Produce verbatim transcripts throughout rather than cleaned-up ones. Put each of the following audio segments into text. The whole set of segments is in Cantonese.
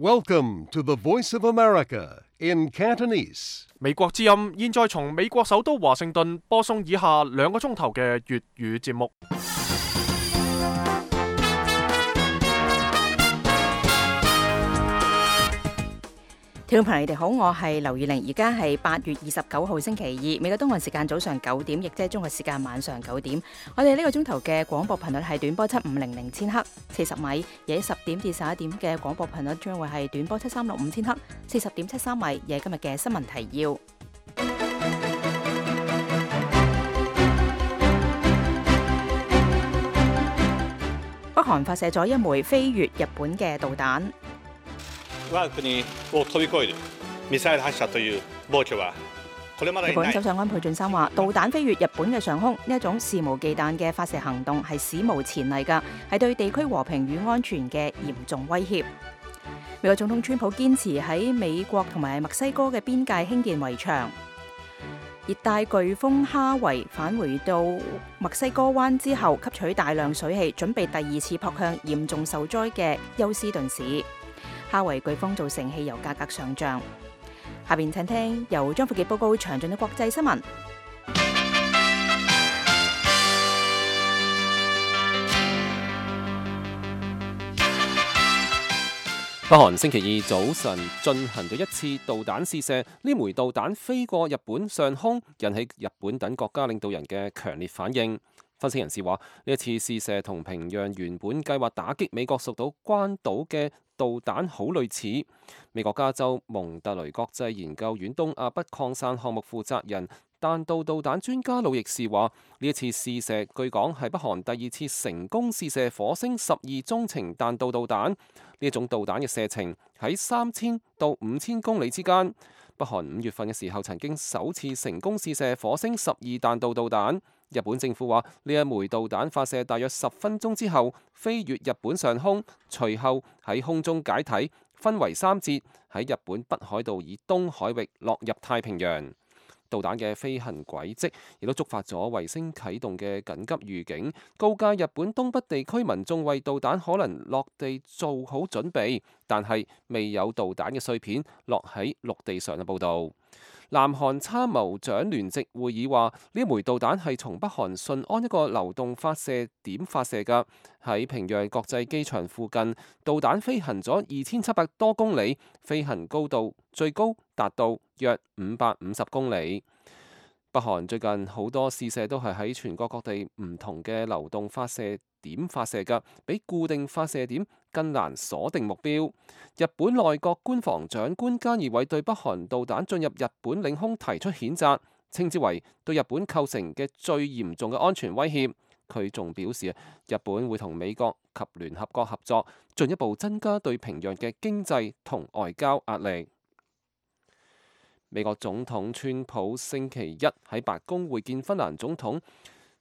Welcome to the Voice of America in Cantonese. 美國之音現在從美國首都華盛頓播送以下兩個鐘頭嘅粵語節目。聽眾朋友，你哋好，我係劉宇玲，而家係八月二十九號星期二，美國東岸時間早上九點，亦即係中國時間晚上九點。我哋呢個鐘頭嘅廣播頻率係短波七五零零千赫，四十米；夜十點至十一點嘅廣播頻率將會係短波七三六五千赫，四十點七三米。嘢今日嘅新聞提要：北韓發射咗一枚飛越日本嘅導彈。我國を飛び越えるミサイル発射という暴挙はこれまでにない。日本首相安倍晉三話：導彈飛越日本嘅上空，呢一種肆無忌憚嘅發射行動係史無前例㗎，係對地區和平與安全嘅嚴重威脅。美國總統川普堅持喺美國同埋墨西哥嘅邊界興建圍牆。熱帶颶風哈維返回到墨西哥灣之後，吸取大量水氣，準備第二次撲向嚴重受災嘅休斯頓市。哈維颶風造成汽油價格上漲。下邊請聽由張富傑報告詳盡嘅國際新聞。北韓星期二早晨進行咗一次導彈試射，呢枚導彈飛過日本上空，引起日本等國家領導人嘅強烈反應。分析人士話，呢一次試射同平壤原本計劃打擊美國屬島關島嘅導彈好類似。美國加州蒙特雷國際研究院東亞不擴散項目負責人、彈道導彈專家路易士話，呢一次試射據講係北韓第二次成功試射火星十二中程彈道導彈。呢一種導彈嘅射程喺三千到五千公里之間。北韓五月份嘅時候曾經首次成功試射火星十二彈道導彈。日本政府話，呢一枚導彈發射大約十分鐘之後飛越日本上空，隨後喺空中解體，分為三節喺日本北海道以東海域落入太平洋。導彈嘅飛行軌跡亦都觸發咗衛星啟動嘅緊急預警，告誡日本東北地區民眾為導彈可能落地做好準備，但係未有導彈嘅碎片落喺陸地上嘅報導。南韓參謀長聯席會議話，呢枚導彈係從北韓順安一個流動發射點發射㗎，喺平壤國際機場附近，導彈飛行咗二千七百多公里，飛行高度最高達到約五百五十公里。北韓最近好多試射都係喺全國各地唔同嘅流動發射點發射㗎，比固定發射點更難鎖定目標。日本內閣官房長官菅義偉對北韓導彈進入日本領空提出譴責，稱之為對日本構成嘅最嚴重嘅安全威脅。佢仲表示，日本會同美國及聯合國合作，進一步增加對平壤嘅經濟同外交壓力。美國總統川普星期一喺白宮會見芬蘭總統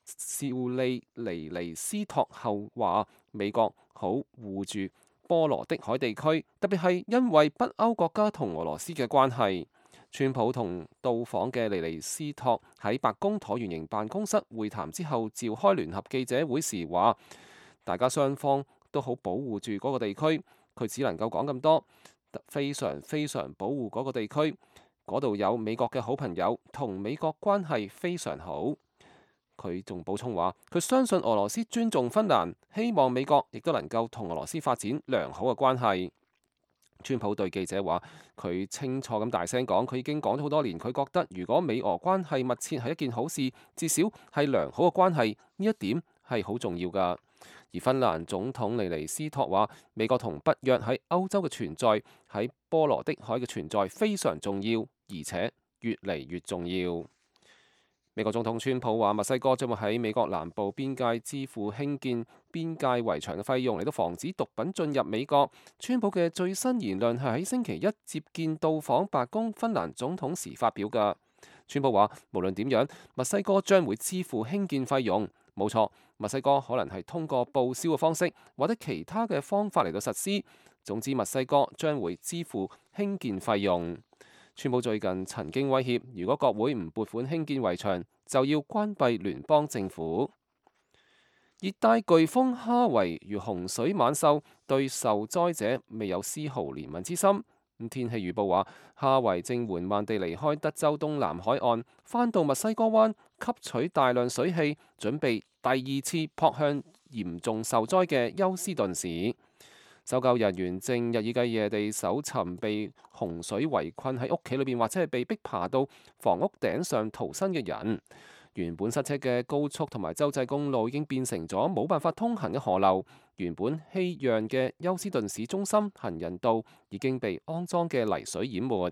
少利尼尼斯托後話，美國好護住波羅的海地區，特別係因為北歐國家同俄羅斯嘅關係。川普同到訪嘅尼尼斯托喺白宮橢圓形辦公室會談之後召開聯合記者會時話，大家雙方都好保護住嗰個地區。佢只能夠講咁多，非常非常保護嗰個地區。嗰度有美國嘅好朋友，同美國關係非常好。佢仲補充話，佢相信俄羅斯尊重芬蘭，希望美國亦都能夠同俄羅斯發展良好嘅關係。川普對記者話，佢清楚咁大聲講，佢已經講咗好多年，佢覺得如果美俄關係密切係一件好事，至少係良好嘅關係，呢一點係好重要㗎。而芬蘭總統尼尼斯托話，美國同北約喺歐洲嘅存在，喺波羅的海嘅存在非常重要，而且越嚟越重要。美國總統川普話，墨西哥將會喺美國南部邊界支付興建邊界圍牆嘅費用，嚟到防止毒品進入美國。川普嘅最新言論係喺星期一接見到訪白宮芬蘭總統時發表㗎。川普話，無論點樣，墨西哥將會支付興建費用。冇錯，墨西哥可能係通過報銷嘅方式或者其他嘅方法嚟到實施。總之，墨西哥將會支付興建費用。川普最近曾經威脅，如果國會唔撥款興建圍牆，就要關閉聯邦政府。熱帶颶風哈維如洪水猛獸，對受災者未有絲毫憐憫之心。天氣預報話，哈維正緩慢地離開德州東南海岸，返到墨西哥灣吸取大量水氣，準備第二次撲向嚴重受災嘅休斯頓市。搜救人員正日以繼夜地搜尋被洪水圍困喺屋企裏邊或者係被逼爬到房屋頂上逃生嘅人。原本塞車嘅高速同埋州際公路已經變成咗冇辦法通行嘅河流。原本熙攘嘅休斯頓市中心行人道已經被骯髒嘅泥水淹沒。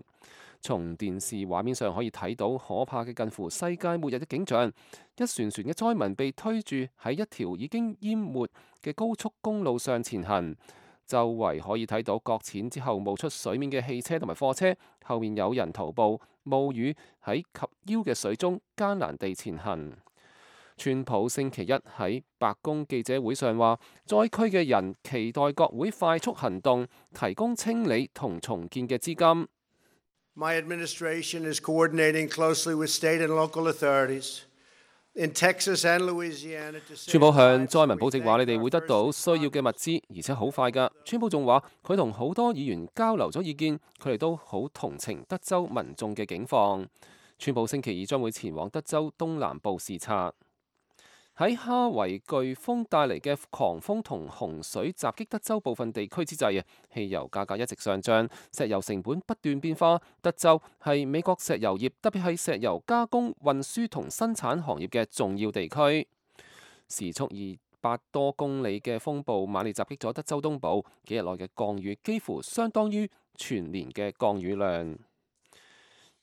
從電視畫面上可以睇到可怕嘅近乎世界末日嘅景象。一船船嘅災民被推住喺一條已經淹沒嘅高速公路上前行。周圍可以睇到擱淺之後冒出水面嘅汽車同埋貨車，後面有人徒步冒雨喺及腰嘅水中艱難地前行。川普星期一喺白宮記者會上話，災區嘅人期待國會快速行動，提供清理同重建嘅資金。My administration is coordinating closely with state and local authorities in Texas and Louisiana. 川普向災民保證話，你哋會得到需要嘅物資，而且好快㗎。川普仲話，佢同好多議員交流咗意見，佢哋都好同情德州民眾嘅境況。川普星期二將會前往德州東南部視察。喺哈維颶風帶嚟嘅狂風同洪水襲擊德州部分地區之際啊，汽油價格一直上漲，石油成本不斷變化。德州係美國石油業，特別係石油加工、運輸同生產行業嘅重要地區。時速二百多公里嘅風暴猛烈襲擊咗德州東部，幾日內嘅降雨幾乎相當於全年嘅降雨量。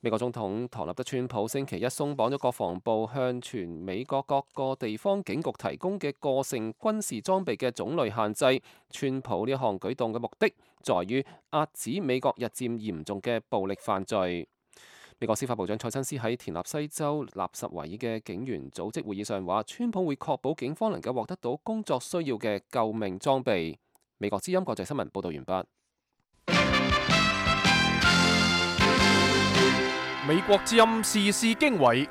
美國總統唐納德川普星期一鬆綁咗國防部向全美國各個地方警局提供嘅個性軍事裝備嘅種類限制。川普呢一項舉動嘅目的，在於遏止美國日漸嚴重嘅暴力犯罪。美國司法部長蔡親斯喺田納西州納什維爾嘅警員組織會議上話，川普會確保警方能夠獲得到工作需要嘅救命裝備。美國之音國際新聞報道完畢。美國之音時事經緯，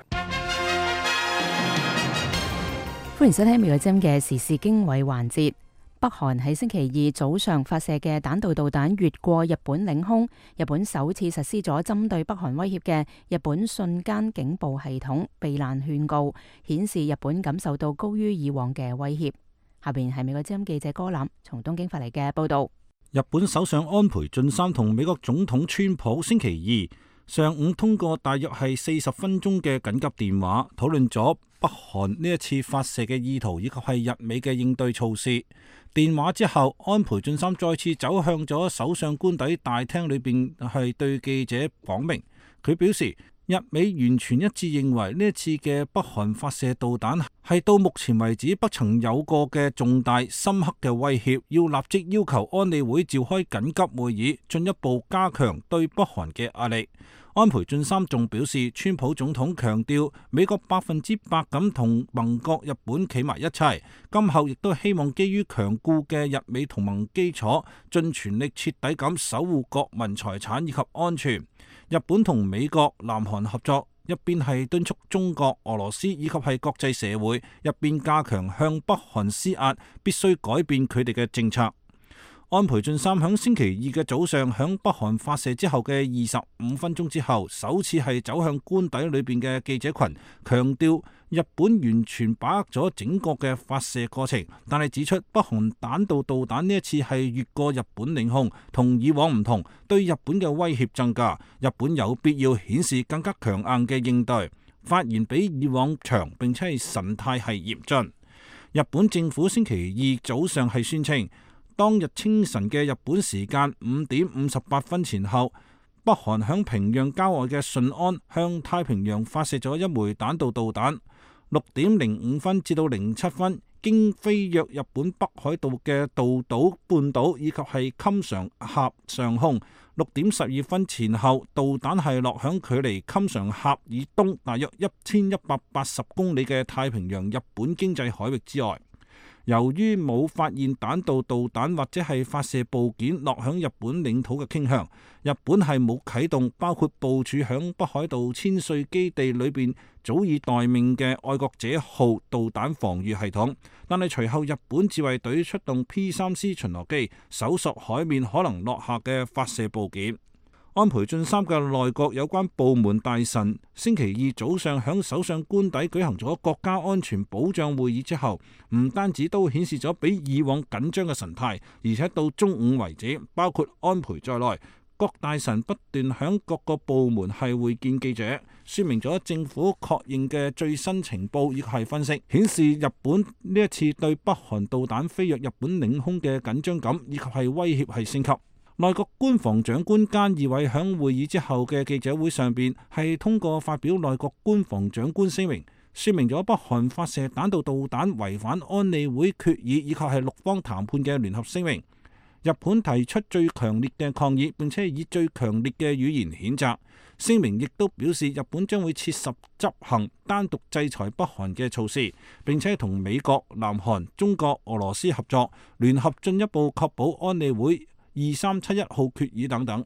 歡迎收聽美國之音嘅時事經緯環節。北韓喺星期二早上發射嘅彈道導彈越過日本領空，日本首次實施咗針對北韓威脅嘅日本瞬間警報系統避難勸告，顯示日本感受到高於以往嘅威脅。下邊係美國之音記者柯南從東京發嚟嘅報道。日本首相安倍晉三同美國總統川普星期二上午通過大約係四十分鐘嘅緊急電話，討論咗北韓呢一次發射嘅意圖以及係日美嘅應對措施。電話之後，安倍晉三再次走向咗首相官邸大廳裏邊，係對記者講明，佢表示日美完全一致認為呢一次嘅北韓發射導彈係到目前為止不曾有過嘅重大深刻嘅威脅，要立即要求安理會召開緊急會議，進一步加強對北韓嘅壓力。安倍晉三仲表示，川普總統強調美國百分之百咁同盟國日本企埋一齊，今後亦都希望基於強固嘅日美同盟基礎，盡全力徹底咁守護國民財產以及安全。日本同美國、南韓合作，一邊係敦促中國、俄羅斯以及係國際社會，一邊加強向北韓施壓，必須改變佢哋嘅政策。安倍晉三響星期二嘅早上，響北韓發射之後嘅二十五分鐘之後，首次係走向官邸裏邊嘅記者群，強調日本完全把握咗整個嘅發射過程，但係指出北韓彈道導彈呢一次係越過日本領空，同以往唔同，對日本嘅威脅增加，日本有必要顯示更加強硬嘅應對。發言比以往長，並且係神態係嚴峻。日本政府星期二早上係宣稱，當日清晨嘅日本時間五點五十八分前後，北韓響平壤郊外嘅順安向太平洋發射咗一枚彈道導彈。六點零五分至到零七分，經飛越日本北海道嘅道島半島以及係襟常峽上空。六點十二分前後，導彈係落響距離襟常峽以東大約一千一百八十公里嘅太平洋日本經濟海域之外。由於冇發現彈道導彈或者係發射部件落響日本領土嘅傾向，日本係冇啟動包括部署響北海道千歲基地裏邊早已待命嘅愛國者號導彈防禦系統。但係隨後日本自衛隊出動 P 三 C 巡邏機搜索海面可能落下嘅發射部件。安倍晉三嘅內閣有關部門大臣星期二早上響首相官邸舉行咗國家安全保障會議之後，唔單止都顯示咗比以往緊張嘅神態，而且到中午為止，包括安倍在內，各大臣不斷響各個部門係會見記者，說明咗政府確認嘅最新情報以及係分析，顯示日本呢一次對北韓導彈飛越日本領空嘅緊張感以及係威脅係升級。內閣官房長官菅義偉響會議之後嘅記者會上邊係通過發表內閣官房長官聲明，說明咗北韓發射彈道導彈違反安理會決議以及係六方談判嘅聯合聲明。日本提出最強烈嘅抗議，並且以最強烈嘅語言譴責。聲明亦都表示日本將會切實執行單獨制裁北韓嘅措施，並且同美國、南韓、中國、俄羅斯合作，聯合進一步確保安理會二三七一號決議等等。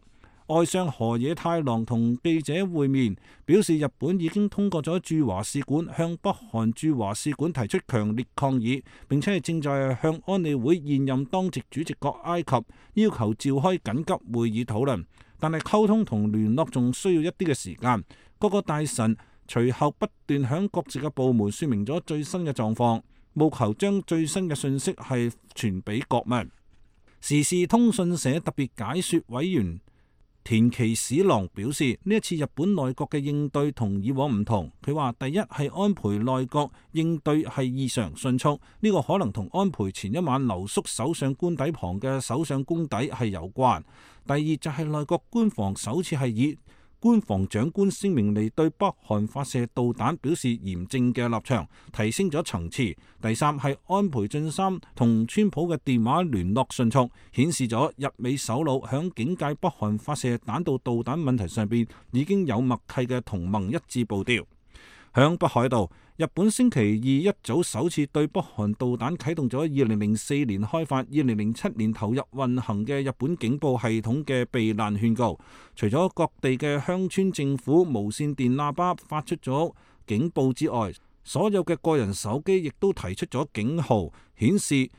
外相河野太郎同記者會面，表示日本已經通過咗駐華使館向北韓駐華使館提出強烈抗議，並且係正在向安理會現任當值主席國埃及要求召開緊急會議討論，但係溝通同聯絡仲需要一啲嘅時間。各個大臣隨後不斷向各自嘅部門說明咗最新嘅狀況，務求將最新嘅信息係傳俾國民。時事通訊社特別解說委員田崎史郎表示，呢一次日本內閣嘅應對同以往唔同。佢話第一係安倍內閣應對係異常迅速，呢個可能同安倍前一晚留宿首相官邸旁嘅首相公邸係有關。第二就係內閣官房首次係以官房長官聲明嚟對北韓發射導彈表示嚴正嘅立場，提升咗層次。第三係安倍晉三同川普嘅電話聯絡迅速，顯示咗日美首腦響警戒北韓發射彈道導彈問題上邊已經有默契嘅同盟一致步調。響北海道，日本星期二一早首次對北韓導彈啟動咗二零零四年開發、二零零七年投入運行嘅日本警報系統嘅避難勸告。除咗各地嘅鄉村政府無線電喇叭發出咗警報之外，所有嘅個人手機亦都提出咗警號，顯示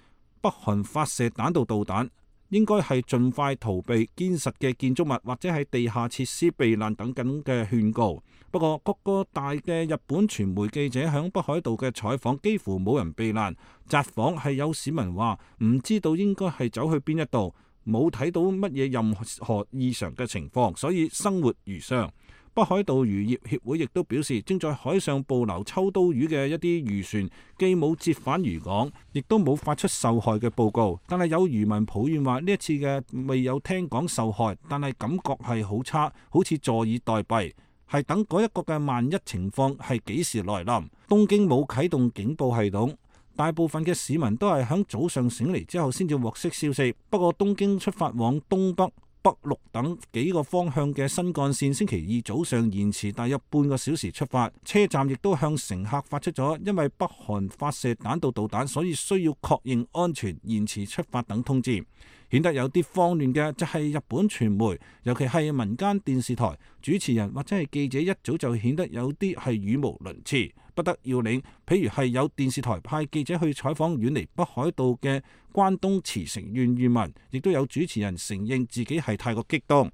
北韓發射彈道導彈應該係盡快逃避堅實嘅建築物或者係地下設施避難等等嘅勸告。不過各個大嘅日本傳媒記者響北海道嘅採訪幾乎冇人避難，札幌係有市民話唔知道應該係走去邊一度，冇睇到乜嘢任何異常嘅情況，所以生活如常。北海道漁業協會亦都表示，正在海上捕撈秋刀魚嘅一啲漁船既冇折返漁港，亦都冇發出受害嘅報告。但係有漁民抱怨話呢一次嘅未有聽講受害，但係感覺係好差，好似坐以待斃，係等嗰一個嘅萬一情況係幾時來臨。東京冇啟動警報系統，大部分嘅市民都係響早上醒嚟之後先至獲悉消息。不過東京出發往東北、北陸等幾個方向嘅新幹線星期二早上延遲大約半個小時出發，車站亦都向乘客發出咗因為北韓發射彈道導彈，所以需要確認安全延遲出發等通知。顯得有啲慌亂嘅就係日本傳媒，尤其係民間電視台主持人或者係記者一早就顯得有啲係語無倫次、不得要領。譬如係有電視台派記者去採訪遠離北海道嘅關東茨城縣漁民，亦都有主持人承認自己係太過激動。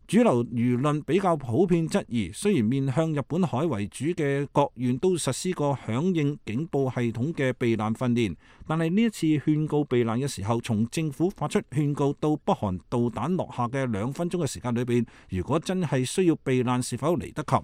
主流輿論比較普遍質疑，雖然面向日本海為主嘅各縣都實施過響應警報系統嘅避難訓練，但係呢一次勸告避難嘅時候，從政府發出勸告到北韓導彈落下嘅兩分鐘嘅時間裏邊，如果真係需要避難，是否嚟得及？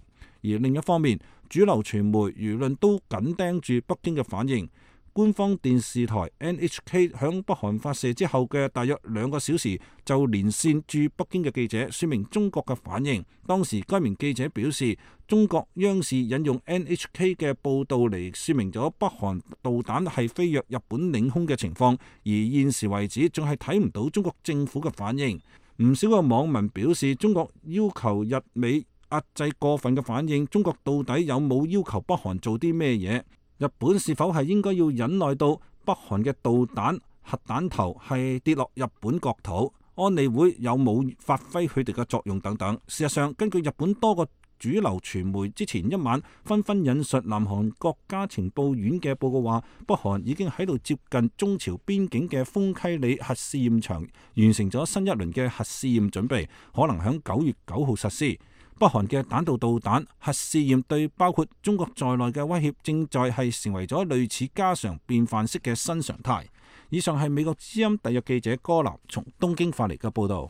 而另一方面，主流傳媒輿論都緊盯住北京嘅反應。官方電視台 N H K 響北韓發射之後嘅大約兩個小時就連線駐北京嘅記者，說明中國嘅反應。當時該名記者表示，中國央視引用 N H K 嘅報導嚟說明咗北韓導彈係飛越日本領空嘅情況，而現時為止仲係睇唔到中國政府嘅反應。唔少嘅網民表示，中國要求日美壓制過分嘅反應，中國到底有冇要求北韓做啲咩嘢？日本是否係應該要忍耐到北北韓嘅導彈核彈頭係跌落日本國土，安理會有冇發揮佢哋嘅作用等等。事實上，根據日本多個主流傳媒之前一晚紛紛引述南韓國家情報院嘅報告話，北韓已經喺度接近中朝邊境嘅豐溪里核試驗場完成咗新一輪嘅核試驗準備，可能喺九月九號實施。北韓嘅彈道導彈核試驗對包括中國在內嘅威脅正在係成為咗類似家常便飯式嘅新常態。以上係美國之音特約記者柯南從東京發嚟嘅報導。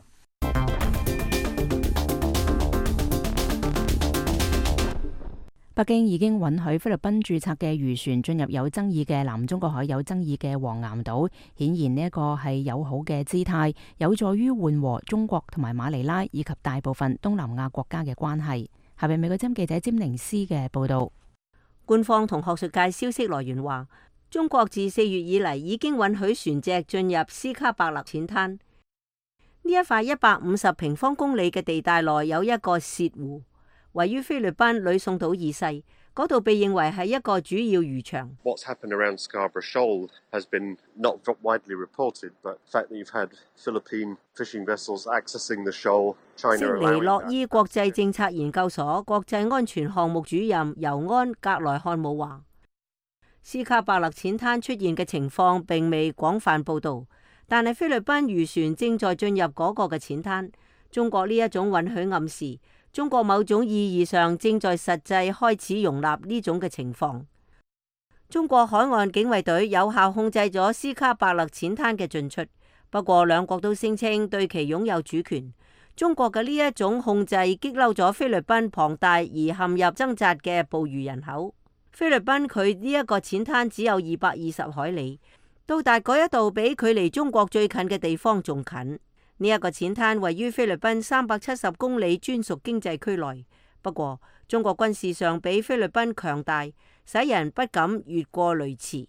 北京已經允許菲律賓註冊嘅漁船進入有爭議嘅南中國海有爭議嘅黃岩島，顯然呢一個係友好嘅姿態，有助於緩和中國同埋馬尼拉以及大部分東南亞國家嘅關係。下邊美國之音記者詹寧斯嘅報導。官方同學術界消息來源話，中國自四月以嚟已經允許船隻進入斯卡伯勒淺灘。呢一塊一百五十平方公里嘅地帶內有一個洩湖，位於菲律賓呂宋島以西，嗰度被認為係一個主要漁場。What's happened around Scarborough Shoal has been not widely reported, but the fact that you've had Philippine fishing vessels accessing the shoal, China allowing that. 悉尼洛伊國際政策研究所國際安全項目主任尤安格萊漢姆話，斯卡伯勒淺灘出現嘅情況並未廣泛報導，但係菲律賓漁船正在進入嗰個嘅淺灘。中國呢一種允許暗示，中國某種意義上正在實際開始容納呢種嘅情況。中國海岸警衛隊有效控制咗斯卡伯勒淺灘嘅進出，不過兩國都聲稱對其擁有主權。中國嘅呢一種控制激嬲咗菲律賓龐大而陷入掙扎嘅捕魚人口。菲律賓佢呢一個淺灘只有二百二十海里，到達嗰一度比距離中國最近嘅地方仲近。呢一個淺灘位於菲律賓三百七十公里專屬經濟區內，不過中國軍事上比菲律賓強大，使人不敢越過雷池。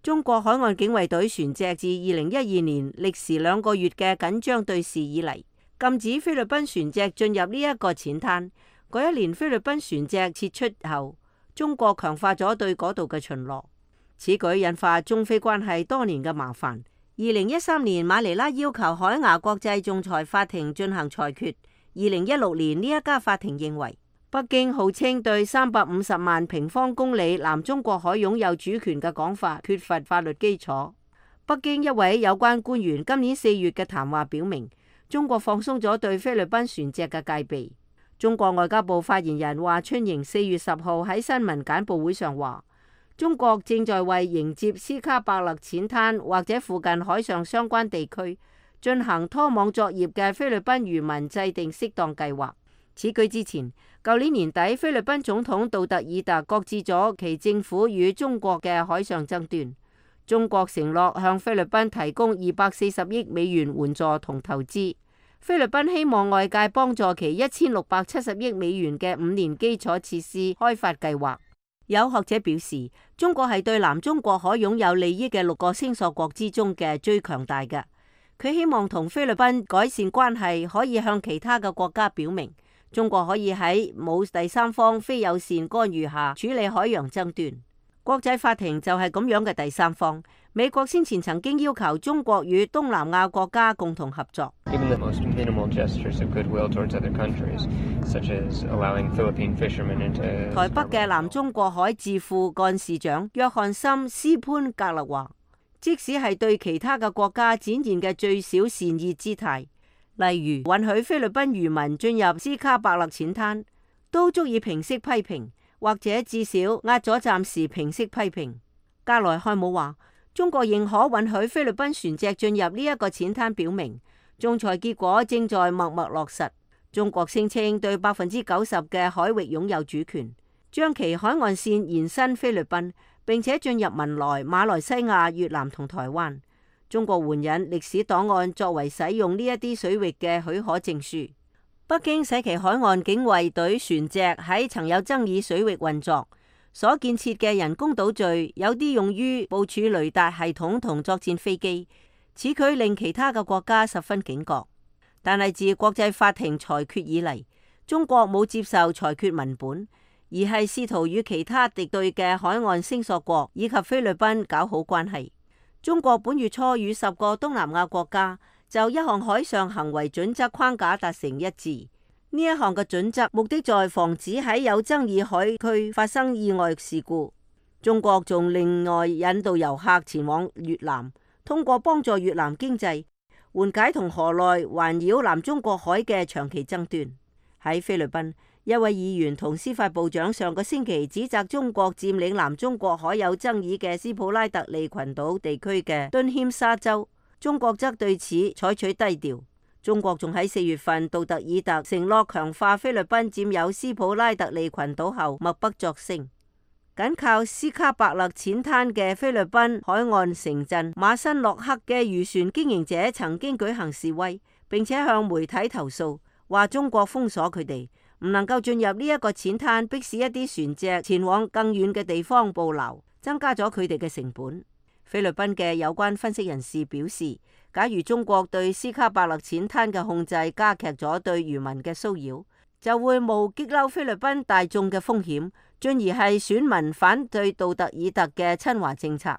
中國海岸警衛隊船隻自二零一二年歷時兩個月嘅緊張對峙以嚟，禁止菲律賓船隻進入呢一個淺灘。嗰一年菲律賓船隻撤出後，中國強化咗對嗰度嘅巡邏，此舉引發中菲關係多年嘅麻煩。二零一三年，馬尼拉要求海牙國際仲裁法庭進行裁決。二零一六年，呢一家法庭認為，北京號稱對三百五十萬平方公里南中國海擁有主權嘅講法缺乏法律基礎。北京一位有關官員今年四月嘅談話表明，中國放鬆咗對菲律賓船隻嘅戒備。中國外交部發言人華春瑩四月十號喺新聞簡報會上話，中國正在為迎接斯卡伯勒淺灘或者附近海上相關地區進行拖網作業嘅菲律賓漁民制定適當計劃。此舉之前，舊年年底菲律賓總統杜特爾特擱置咗其政府與中國嘅海上爭端。中國承諾向菲律賓提供二百四十億美元援助同投資。菲律賓希望外界幫助其一千六百七十億美元嘅五年基礎設施開發計劃。有學者表示，中國係對南中國海擁有利益嘅六個星索國之中嘅最強大嘅。佢希望同菲律賓改善關係，可以向其他嘅國家表明，中國可以喺冇第三方非友善干預下處理海洋爭端。國際法庭就係咁樣嘅第三方。美國先前曾經要求中國與東南亞國家共同合作。台北嘅南中國海智庫幹事長約翰森斯潘格勒話，即使係對其他嘅國家展現嘅最小善意姿態，例如允許菲律賓漁民進入斯卡伯勒淺灘，都足以平息批評，或者至少壓咗暫時平息批評。格萊漢姆話，中國認可允許菲律賓船隻進入呢一個淺灘，表明仲裁結果正在默默落實。中國聲稱對百分之九十嘅海域擁有主權，將其海岸線延伸菲律賓，並且進入文萊、馬來西亞、越南同台灣。中國援引歷史檔案作為使用呢一啲水域嘅許可證書。北京使其海岸警衛隊船隻喺曾有爭議水域運作。所建設嘅人工島嶼有啲用於部署雷達系統同作戰飛機，此舉令其他嘅國家十分警覺。但係自國際法庭裁決以嚟，中國冇接受裁決文本，而係試圖與其他敵對嘅海岸聲索國以及菲律賓搞好關係。中國本月初與十個東南亞國家就一項海上行為準則框架達成一致。呢一項嘅準則目的在防止喺有爭議海區發生意外事故。中國仲另外引導遊客前往越南，通過幫助越南經濟，緩解同河內環繞南中國海嘅長期爭端。喺菲律賓，一位議員同司法部長上個星期指責中國佔領南中國海有爭議嘅斯普拉特利群島地區嘅敦謙沙州，中國則對此採取低調。中國仲喺四月份杜特爾特承諾強化菲律賓佔有斯普拉特利群島後，默不作聲。緊靠斯卡伯勒淺灘嘅菲律賓海岸城鎮馬辛洛克嘅漁船經營者曾經舉行示威，並且向媒體投訴，話中國封鎖佢哋，唔能夠進入呢一個淺灘，迫使一啲船隻前往更遠嘅地方捕撈，增加咗佢哋嘅成本。菲律賓嘅有關分析人士表示，假如中國對斯卡伯勒淺灘嘅控制加劇咗對漁民嘅騷擾，就會冒激嬲菲律賓大眾嘅風險，進而係選民反對杜特爾特嘅親華政策。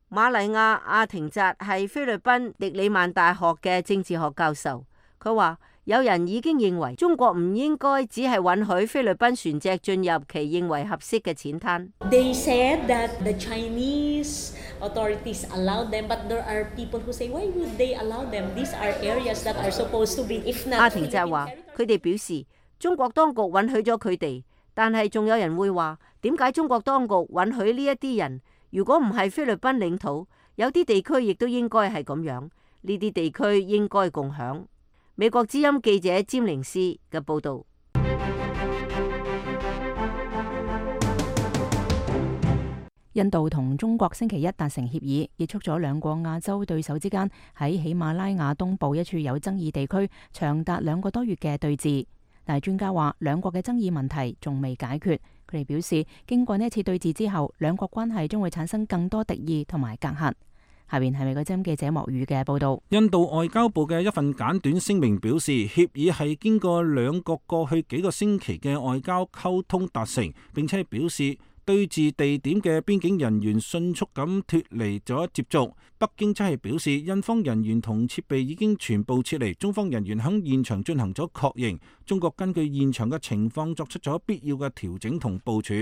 瑪麗亞阿廷扎係菲律賓迪里曼大學嘅政治學教授，佢話有人已經認為中國唔應該只係允許菲律賓船隻進入其認為合適嘅淺灘。They said that the Chinese authorities allowed them, but there are people who say, why would they allow them? These are areas that are supposed to be, if not. 阿廷扎話，佢哋表示中國當局允許咗佢哋，但係仲有人會話，點解中國當局允許呢一啲人？如果唔係菲律賓領土，有啲地區亦都應該係咁樣，呢啲地區應該共享。美國之音記者詹寧斯嘅報導。印度同中國星期一達成協議，結束咗兩個亞洲對手之間喺喜馬拉雅東部一處有爭議地區長達兩個多月嘅對峙。但係專家話，兩國嘅爭議問題仲未解決。佢哋表示，經過呢一次對峙之後，兩國關係將會產生更多敵意同埋隔閡。下邊係美國之音記者莫宇嘅報道。印度外交部嘅一份簡短聲明表示，協議係經過兩國過去幾個星期嘅外交溝通達成，並且表示對峙地點嘅邊境人員迅速咁脫離咗接觸。北京則係表示，印方人員同設備已經全部撤離，中方人員喺現場進行咗確認。中國根據現場嘅情況作出咗必要嘅調整同部署。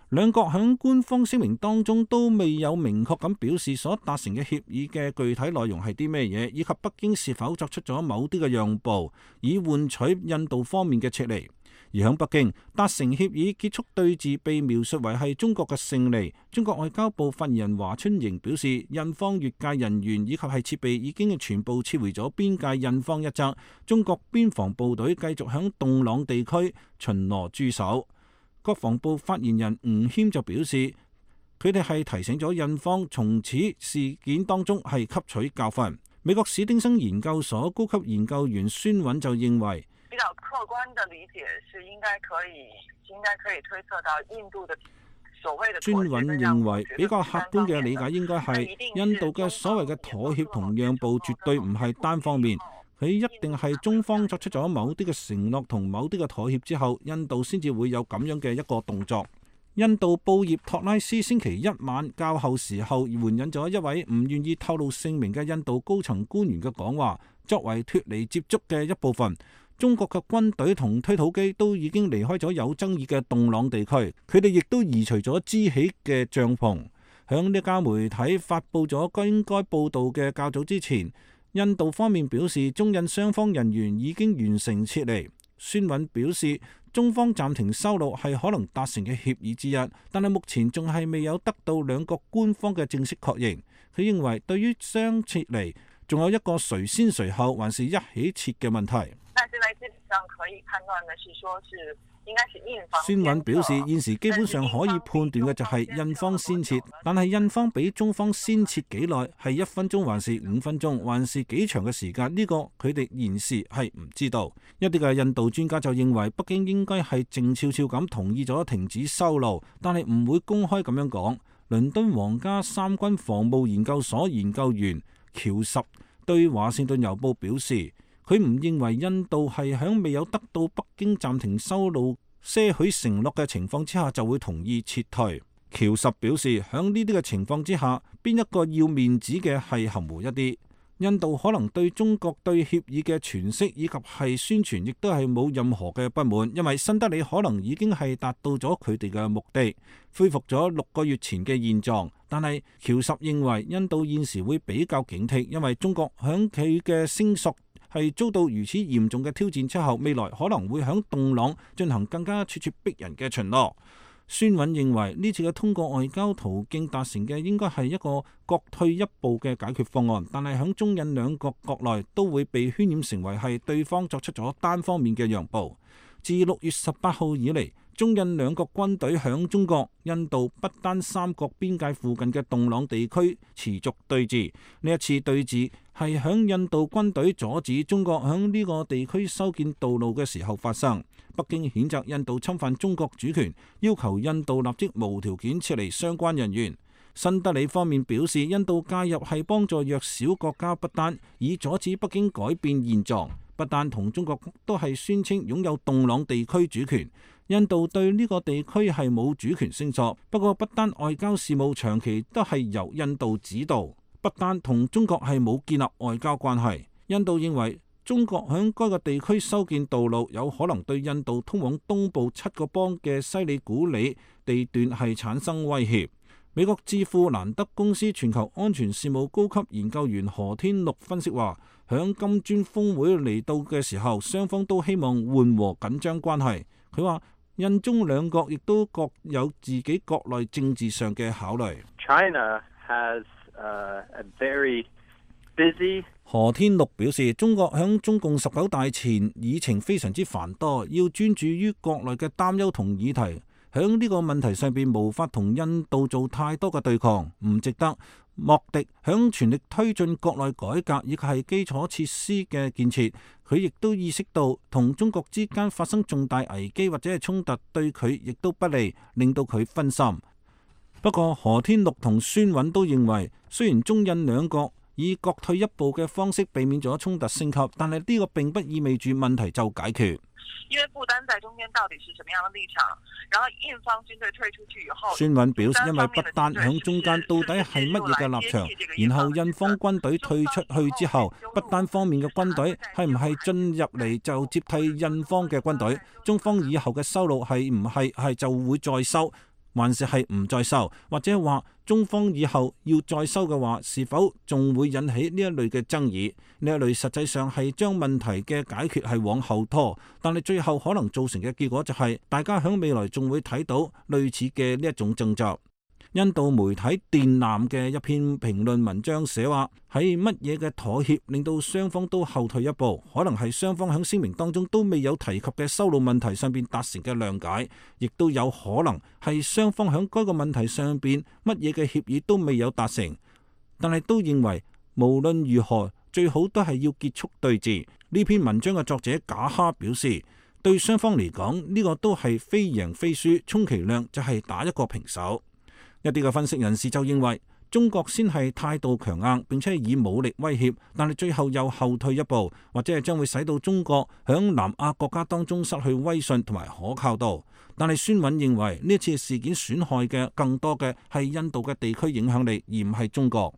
兩國喺官方聲明當中都未有明確咁表示所達成嘅協議嘅具體內容係啲咩嘢，以及北京是否作出咗某啲嘅讓步，以換取印度方面嘅撤離。而喺北京達成協議結束對峙被描述為係中國嘅勝利。中國外交部發言人華春瑩表示，印方越界人員以及係設備已經全部撤回咗邊界。印方一側，中國邊防部隊繼續喺洞朗地區巡邏駐守。國防部發言人吳謙就表示，佢哋係提醒咗印方從此事件當中係吸取教訓。美國史丁生研究所高級研究員孫韻就認為，比較客觀的理解是應該可以應該可以推測到印度的所謂的。孫韻認為比較客觀嘅理解應該係印度嘅所謂嘅妥協同讓步絕對唔係單方面。佢一定係中方作出咗某啲嘅承諾同某啲嘅妥協之後，印度先至會有咁樣嘅一個動作。印度報業托拉斯星期一晚較後時候援引咗一位唔願意透露姓名嘅印度高層官員嘅講話，作為脫離接觸嘅一部分。中國嘅軍隊同推土機都已經離開咗有爭議嘅洞朗地區，佢哋亦都移除咗支起嘅帳篷。響呢家媒體發佈咗應該報導嘅較早之前，印度方面表示，中印雙方人員已經完成撤離。孫韻表示，中方暫停收錄係可能達成嘅協議之一，但係目前仲係未有得到兩國官方嘅正式確認。佢認為對於雙撤離，仲有一個誰先誰後，還是一起撤嘅問題。但是呢，基本上可以判斷的是，說是應該是印方。孫韻表示，現時基本上可以判斷嘅就係印方先撤，但係印方比中方先撤幾耐，係一分鐘還是五分鐘，還是幾長嘅時間？呢個佢哋現時係唔知道。一啲嘅印度專家就認為，北京應該係靜悄悄咁同意咗停止修路，但係唔會公開咁樣講。倫敦皇家三軍防務研究所研究員喬什對華盛頓郵報表示，佢唔認為印度係喺未有得到北京暫停修路些許承諾嘅情況之下就會同意撤退。喬什表示，喺呢啲嘅情況之下，邊一個要面子嘅係含糊一啲。印度可能對中國對協議嘅詮釋以及係宣傳，亦都係冇任何嘅不滿，因為新德里可能已經係達到咗佢哋嘅目的，恢復咗六個月前嘅現狀。但係喬什認為，印度現時會比較警惕，因為中國響佢嘅聲索係遭到如此嚴重嘅挑戰之後，未來可能會響洞朗進行更加咄咄逼人嘅巡邏。孫韻認為呢次嘅通過外交途徑達成嘅應該係一個各退一步嘅解決方案，但係響中印兩國國內都會被渲染成為係對方作出咗單方面嘅讓步。自六月十八號以嚟，中印兩國軍隊響中國、印度不丹三國邊界附近嘅洞朗地區持續對峙。呢一次對峙係響印度軍隊阻止中國響呢個地區修建道路嘅時候發生。北京譴責印度侵犯中國主權，要求印度立即無條件撤離相關人員。新德里方面表示，印度介入係幫助弱小國家不丹，以阻止北京改變現狀。不丹同中國都係宣稱擁有洞朗地區主權，印度對呢個地區係冇主權聲索。不過不丹外交事務長期都係由印度指導，不丹同中國係冇建立外交關係。印度認為中國響該個地區修建道路，有可能對印度通往東部七個邦嘅西里古里地段係產生威脅。美國智庫蘭德公司全球安全事務高級研究員何天祿分析話，響金磚峰會嚟到嘅時候，雙方都希望緩和緊張關係。佢話印中兩國亦都各有自己國內政治上嘅考慮。China has, uh, a very busy何天祿表示，中國響中共十九大前議程非常之繁多，要專注於國內嘅擔憂同議題，響呢個問題上邊無法同印度做太多嘅對抗，唔值得。莫迪響全力推進國內改革以及係基礎設施嘅建設，佢亦都意識到同中國之間發生重大危機或者係衝突對佢亦都不利，令到佢分心。不過何天祿同孫韻都認為，雖然中印兩國以各退一步嘅方式避免咗衝突升級，但係呢個並不意味住問題就解決。因為不丹在中間到底是什麼樣的立場，然後印方軍隊退出去以後，孫韻表示，因為不丹響中間到底係乜嘢嘅立場，然後印方軍隊退出去之後，不丹方面嘅軍隊係唔係進入嚟就接替印方嘅軍隊，中方以後嘅收路係唔係係就會再收，還是係唔再收，或者話中方以後要再收嘅話，是否仲會引起呢一類嘅爭議？呢一類實際上係將問題嘅解決係往後拖，但係最後可能造成嘅結果就係、是、大家喺未來仲會睇到類似嘅呢一種爭執。印度媒體電纜嘅一篇評論文章寫話，喺乜嘢嘅妥協令到雙方都後退一步，可能係雙方喺聲明當中都未有提及嘅修路問題上邊達成嘅諒解，亦都有可能係雙方喺該個問題上邊乜嘢嘅協議都未有達成，但係都認為無論如何最好都係要結束對峙。呢篇文章嘅作者賈哈表示，對雙方嚟講呢個都係非贏非輸，充其量就係打一個平手。一啲嘅分析人士就認為，中國先係態度強硬，並且以武力威脅，但係最後又後退一步，或者係將會使到中國響南亞國家當中失去威信同埋可靠度。但係孫韻認為呢次事件損害嘅更多嘅係印度嘅地區影響力，而唔係中國。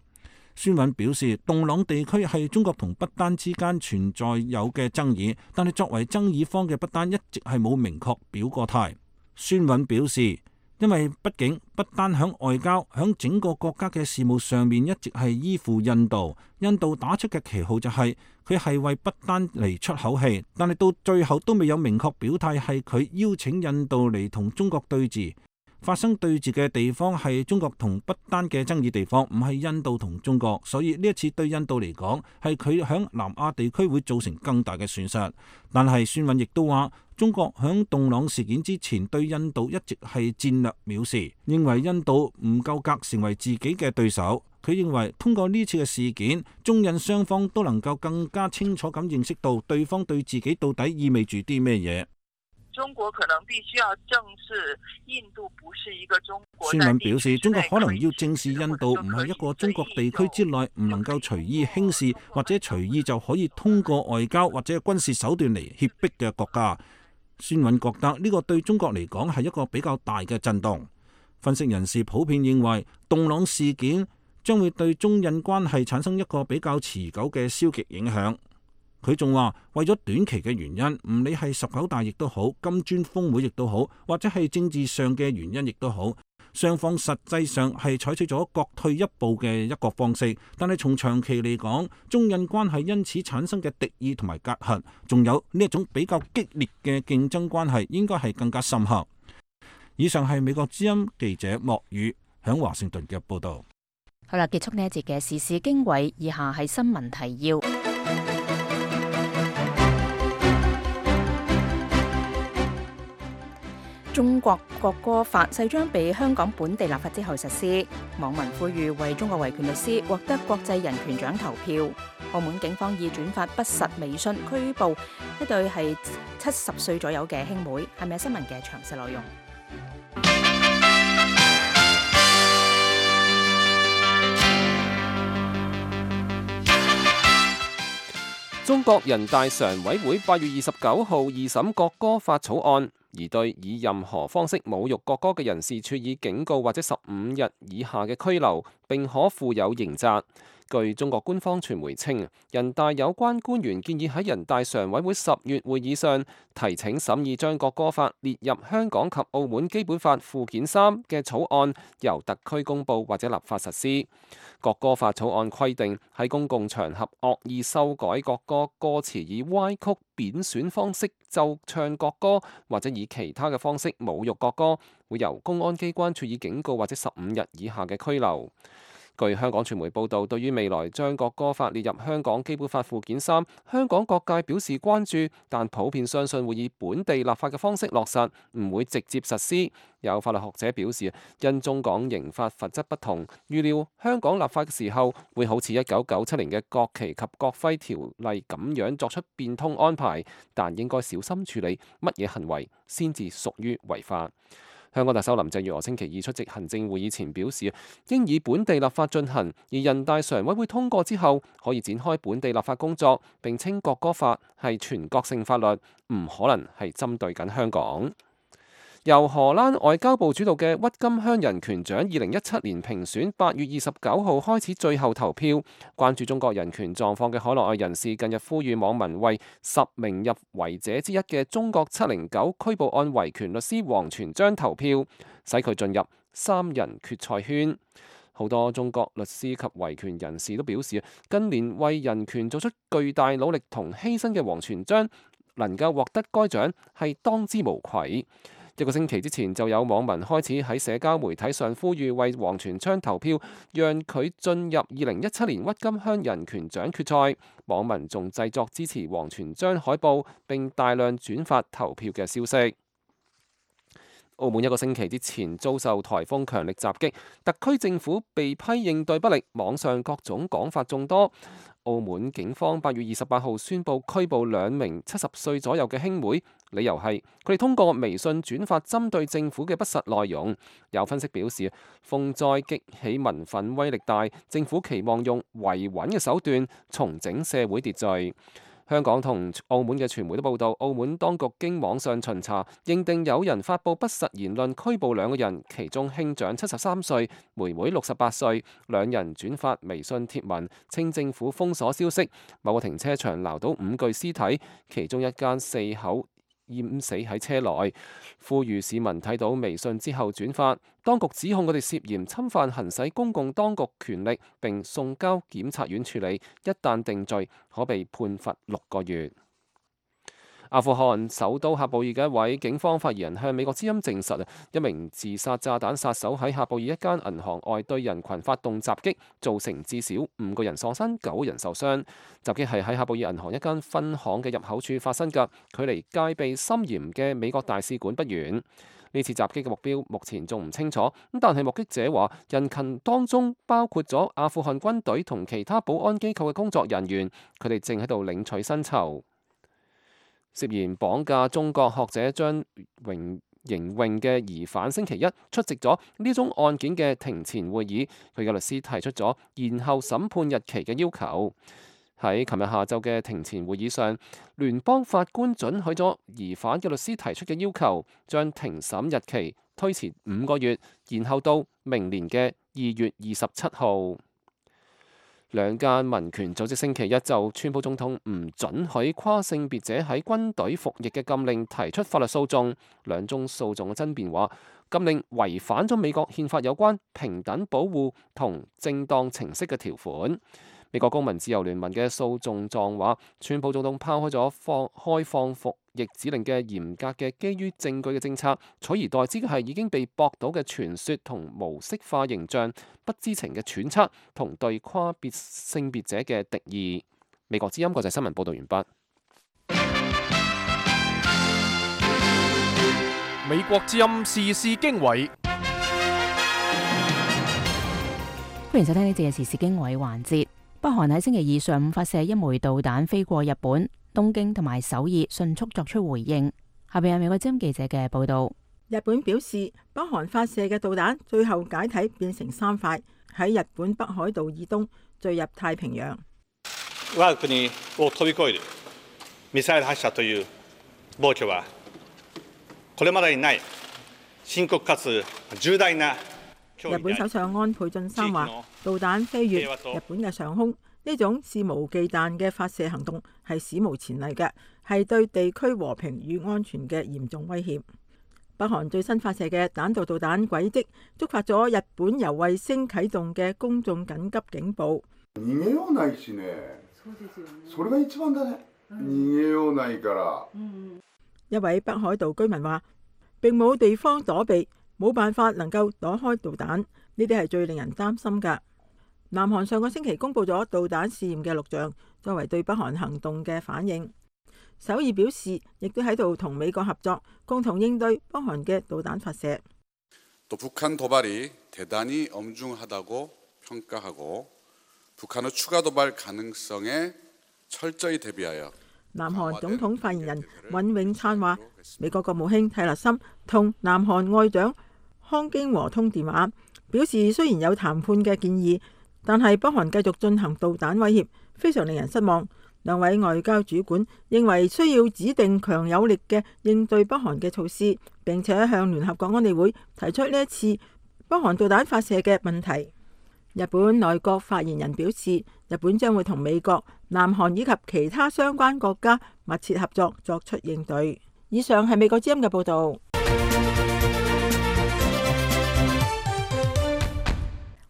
孫韻表示，洞朗地區係中國同不丹之間存在有嘅爭議，但係作為爭議方嘅不丹一直係冇明確表過態。孫韻表示，因為畢竟不丹響外交響整個國家嘅事務上面一直係依附印度，印度打出嘅旗號就係佢係為不丹嚟出口氣，但係到最後都未有明確表態係佢邀請印度嚟同中國對峙。發生對峙嘅地方係中國同不丹嘅爭議地方，唔係印度同中國，所以呢一次對印度嚟講係佢響南亞地區會造成更大嘅損失。但係孫韻亦都話，中國響洞朗事件之前對印度一直係戰略藐視，認為印度唔夠格成為自己嘅對手。佢認為通過呢次嘅事件，中印雙方都能夠更加清楚咁認識到對方對自己到底意味住啲咩嘢。中國可能必須要正視印度不是一個中國。孫韻表示，中國可能要正視印度唔係一個中國地區之內唔能夠隨意輕視或者隨意就可以通過外交或者軍事手段嚟脅迫嘅國家。孫韻覺得呢個對中國嚟講係一個比較大嘅震動。分析人士普遍認為，洞朗事件將會對中印關係產生一個比較持久嘅消極影響。佢仲話，為咗短期嘅原因，唔理係十九大亦都好，金磚峰會亦都好，或者係政治上嘅原因亦都好，雙方實際上係採取咗各退一步嘅一個方式。但係從長期嚟講，中印關係因此產生嘅敵意同埋隔閡，仲有呢一種比較激烈嘅競爭關係，應該係更加深刻。以上係美國之音記者莫宇響華盛頓嘅報道。好啦，結束呢一節嘅時事經緯，以下係新聞提要。中國國歌法勢將被香港本地立法之後實施，網民呼籲為中國維權律師獲得國際人權獎投票。澳門警方以轉發不實微信拘捕一對係七十歲左右嘅兄妹。係咪新聞嘅詳細內容？中國人大常委會八月二十九號二審國歌法草案，而對以任何方式侮辱國歌嘅人士處以警告或者十五日以下嘅拘留，並可附有刑責。據中國官方傳媒稱，人大有關官員建議喺人大常委會十月會議上提請審議將國歌法列入香港及澳門基本法附件三嘅草案，由特區公佈或者立法實施。國歌法草案規定，喺公共場合惡意修改國歌歌詞，以歪曲、貶損方式奏唱國歌，或者以其他嘅方式侮辱國歌，會由公安機關處以警告或者十五日以下嘅拘留。據香港傳媒報道，對於未來將國歌法列入香港基本法附件三，香港各界表示關注，但普遍相信會以本地立法嘅方式落實，唔會直接實施。有法律學者表示，因中港刑法罰則不同，預料香港立法嘅時候會好似一九九七年嘅國旗及國徽條例咁樣作出變通安排，但應該小心處理乜嘢行為先至屬於違法。香港特首林鄭月娥星期二出席行政會議前表示，應以本地立法進行，而人大常委會通過之後，可以展開本地立法工作。並稱國歌法係全國性法律，唔可能係針對緊香港。由荷蘭外交部主導嘅鬱金香人權獎二零一七年評選，八月二十九號開始最後投票。關注中國人權狀況嘅海內外人士近日呼籲網民為十名入圍者之一嘅中國七零九拘捕案維權律師王全璋投票，使佢進入三人決賽圈。好多中國律師及維權人士都表示，近年為人權做出巨大努力同犧牲嘅王全璋能夠獲得該獎係當之無愧。一個星期之前，就有網民開始喺社交媒體上呼籲為王全璋投票，讓佢進入二零一七年鬱金香人權獎決賽。網民仲製作支持王全璋海報，並大量轉發投票嘅消息。澳門一個星期之前遭受颱風強力襲擊，特區政府被批應對不力，網上各種講法眾多。澳門警方八月二十八號宣布拘捕兩名七十歲左右嘅兄妹，理由係佢哋通過微信轉發針對政府嘅不實內容。有分析表示，風災激起民憤威力大，政府期望用維穩嘅手段重整社會秩序。香港同澳門嘅傳媒都報道，澳門當局經網上巡查，認定有人發布不實言論，拘捕兩個人，其中兄長七十三歲，妹妹六十八歲，兩人轉發微信貼文，稱政府封鎖消息。某個停車場撈到五具屍體，其中一間四口淹死喺車內，呼籲市民睇到微信之後轉發。當局指控佢哋涉嫌侵犯行使公共當局權力，並送交檢察院處理。一旦定罪，可被判罰六個月。阿富汗首都喀布爾嘅一位警方發言人向美國之音證實，一名自殺炸彈殺手喺喀布爾一間銀行外對人群發動襲擊，造成至少五個人喪生，九人受傷。襲擊係喺喀布爾銀行一間分行嘅入口處發生㗎，距離戒備森嚴嘅美國大使館不遠。呢次襲擊嘅目標目前仲唔清楚，咁但係目擊者話，人群當中包括咗阿富汗軍隊同其他保安機構嘅工作人員，佢哋正喺度領取薪酬。涉嫌綁架中國學者張榮邢穎嘅疑犯星期一出席咗呢宗案件嘅庭前會議，佢嘅律師提出咗延後審判日期嘅要求。喺琴日下晝嘅庭前會議上，聯邦法官准許咗疑犯嘅律師提出嘅要求，將庭審日期推遲五個月，延後到明年嘅二月二十七號。兩間民權組織星期一就川普總統唔准許跨性別者喺軍隊服役嘅禁令提出法律訴訟。兩宗訴訟嘅爭辯話，禁令違反咗美國憲法有關平等保護同正當程式嘅條款。美國公民自由聯盟嘅訴訟狀話，川普總統拋開咗放開放服役指令嘅嚴格嘅基於證據嘅政策，取而代之嘅係已經被駁倒嘅傳說同模式化形象、不知情嘅揣測同對跨別性別者嘅敵意。美國之音國際新聞報道完畢。美國之音時事經緯，歡迎收聽呢節嘅時事經緯環節。北韓喺星期二上午發射一枚導彈飛過日本，東京同埋首爾迅速作出回應。下邊係美國之音記者嘅報道。日本表示，北韓發射嘅導彈最後解體變成三塊，喺日本北海道以東墜入太平洋。我が國を飛び越えるミサイル発射という暴挙はこれまでにない深刻かつ重大な。日本首相安倍晉三話，導彈飛越日本嘅上空，呢種肆無忌憚嘅發射行動係史無前例嘅，係對地區和平與安全嘅嚴重威脅。北韓最新發射嘅彈道導彈軌跡觸發咗日本由衛星啟動嘅公眾緊急警報。逃げようないしね。それが一番だね。逃げようないから。一位北海道居民話，並冇地方躲避。冇辦法能夠躲開導彈，呢啲係最令人擔心㗎。南韓上個星期公布咗導彈試驗嘅錄像，作為對北韓行動嘅反應。首爾表示，亦都喺度同美國合作，共同應對北韓嘅導彈發射。南韓總統發言人尹永燦話，美國國務卿蒂勒森同南韓外長康京和通電話，表示雖然有談判嘅建議，但係北韓繼續進行導彈威脅，非常令人失望。兩位外交主管認為需要指定強有力嘅應對北韓嘅措施，並且向聯合國安理會提出呢一次北韓導彈發射嘅問題。日本內閣發言人表示，日本將會同美國、南韓以及其他相關國家密切合作，作出應對。以上係美國之音嘅報導。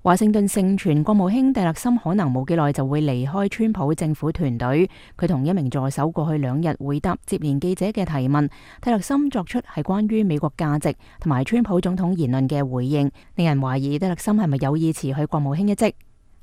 華盛頓盛傳國務卿蒂勒森可能冇幾耐就會離開川普政府團隊。佢同一名助手過去兩日回答接連記者嘅提問。蒂勒森作出係關於美國價值同埋川普總統言論嘅回應，令人懷疑蒂勒森係咪有意辭去國務卿一職。